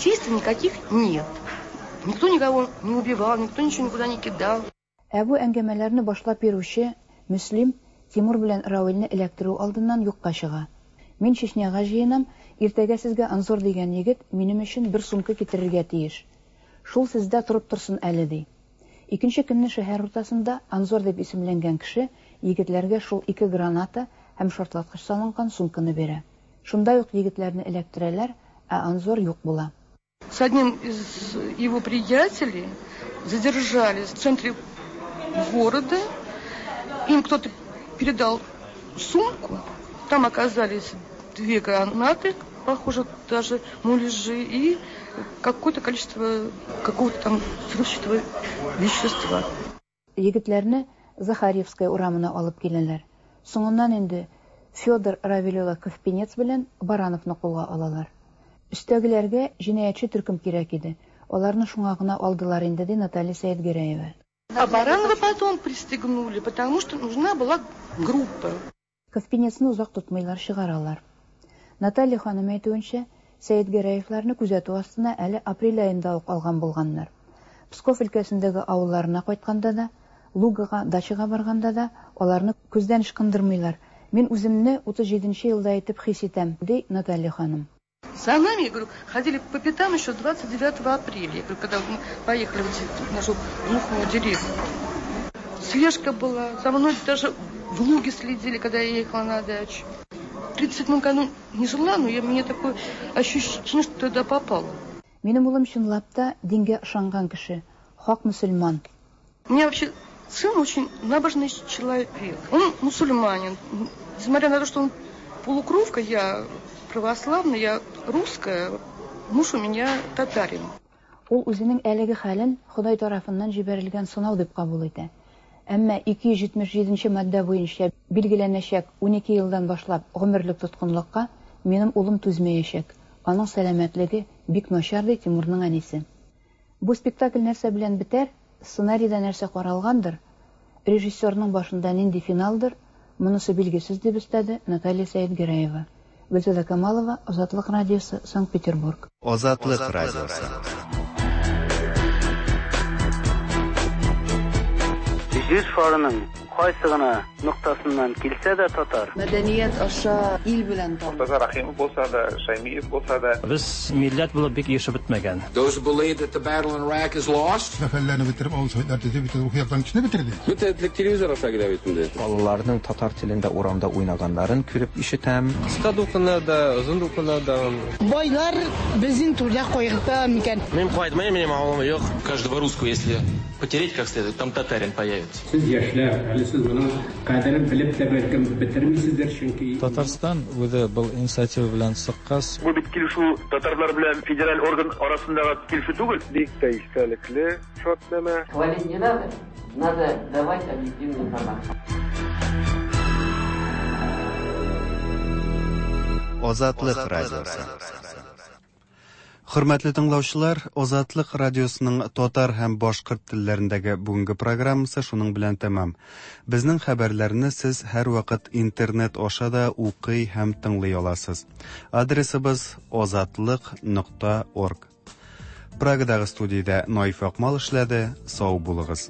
Действий никаких нет. Никто никого не убивал, никто ничего никуда не кидал. Ә бу әңгәмәләрне башлап йөрүче Мөслим Тимур белән Равилне эләктерү алдыннан юкка чыга. Мин Чечняга җыенам, иртәгә сезгә Анзор дигән егет минем өчен бер сумка китерергә тиеш. Шул сездә торып торсын әле, ди. Икенче көнне шәһәр уртасында Анзор дип исемләнгән кеше егетләргә шул ике граната һәм шартлаткыч салынган сумканы бирә. Шунда ук егетләрне эләктерәләр, ә Анзор юк була. С одним из его приятелей задержали в центре города. Им кто-то передал сумку. Там оказались две гранаты, похоже, даже муляжи, и какое-то количество какого-то там взрывчатого вещества. Егетләрне Захарьевская урамына алып киләләр. Соңыннан инде Федор Равил улы Ковпинец белән Барановны кулга алалар. Өстәгеләргә җинаятьче төркем кирәк иде. Аларны шуңа гына алдылар инде, ди Наталья Сәетгәрәева. А Баранова потом пристегнули, потому что нужна была группа. Ковпинецны озак тотмыйлар, чыгаралар. Наталья ханым әйтүенчә, Сәетгәрәевләрне күзәтү астына әле апрель аенда ук алган булганнар. Псков өлкәсендәге авылларына кайтканда да, Лугага, дачага барганда да аларны күздән ычкындырмыйлар. Мин үземне утыз җиденче елда итеп хис итәм, ди Наталья ханым. За нами, я говорю, ходили по пятам еще двадцать девятого апреля, я говорю, когда мы поехали в нашу глухую деревню. Слежка была, за мной даже в Луге следили, когда я ехала на дачу. В тридцать седьмом году не жила, но я, мне такое ощущение, что туда попала. Минем улым чынлап та дингә ышанган кеше, хак мөселман. У меня вообще сын очень набожный человек. Он мусульманин. Несмотря на то, что он полукровка, я православная, я русская, муж у меня татарин. Ул үзенең әлеге хәлен Ходай тарафыннан җибәрелгән сынау дип кабул итә. Әмма ике йөз җитмеш җиденче маддә буенча билгеләнәчәк унике елдан башлап гомерлек тоткынлыкка минем улым түзмәячәк. Аның сәламәтлеге бик начар, ди Тимурның әнисе. Бу спектакль нәрсә белән бетәр, сценарийда нәрсә каралгандыр, режиссерның башында нинди финалдыр, монысы билгесез, дип өстәде Наталья Сәетгәрәева. Гөлзада Камалова, Азатлык радиосы, Санкт-Петербург. Азатлык радиосы. Җир шарының кайсы гына ноктасыннан килсә дә татар. Мәдәният аша ил белән таныш. Мортаза Рәхимов булса да, Шаймиев булса да. Без милләт булып бик ешып бетмәгән. Those who believe that the battle in Iraq is lost. Сәфәрләрне бетереп, авыл советлар төзеп, бөтен рухи яктан кешене бетерде. Бөтен телевизор аша килә бит инде. Балаларның татар телендә урамда уйнаганнарын күреп ишетәм. Кыска дулкыннар да, озын дулкыннар да. Байлар безнең түрдә кайгырта микән? Мин кайтмыйм, минем авылым юк. Каждого русского, если потереть как следует, там татарин появится. Сез яшьләр, әле сез моның кадерен белеп тә бәлкем бетермисездер, чөнки Татарстан үзе был инициатива белән чыккач, бу бит килешү татарлар белән федераль орган арасындагы килешү түгел. Бик тә истәлекле шартнамә. Хвалить не надо, надо давать объективную информацию. Азатлык радиосы. Хөрмәтле тыңлаучылар, Азатлык радиосының татар һәм башкорт телләрендәге бүгенге программасы шуның белән тәмам. Безнең хәбәрләрне сез һәрвакыт интернет аша да укый һәм тыңлый аласыз. Адресыбыз азатлык нокта орг. Прагадагы студиядә Наиф Акмал эшләде. Сау булыгыз.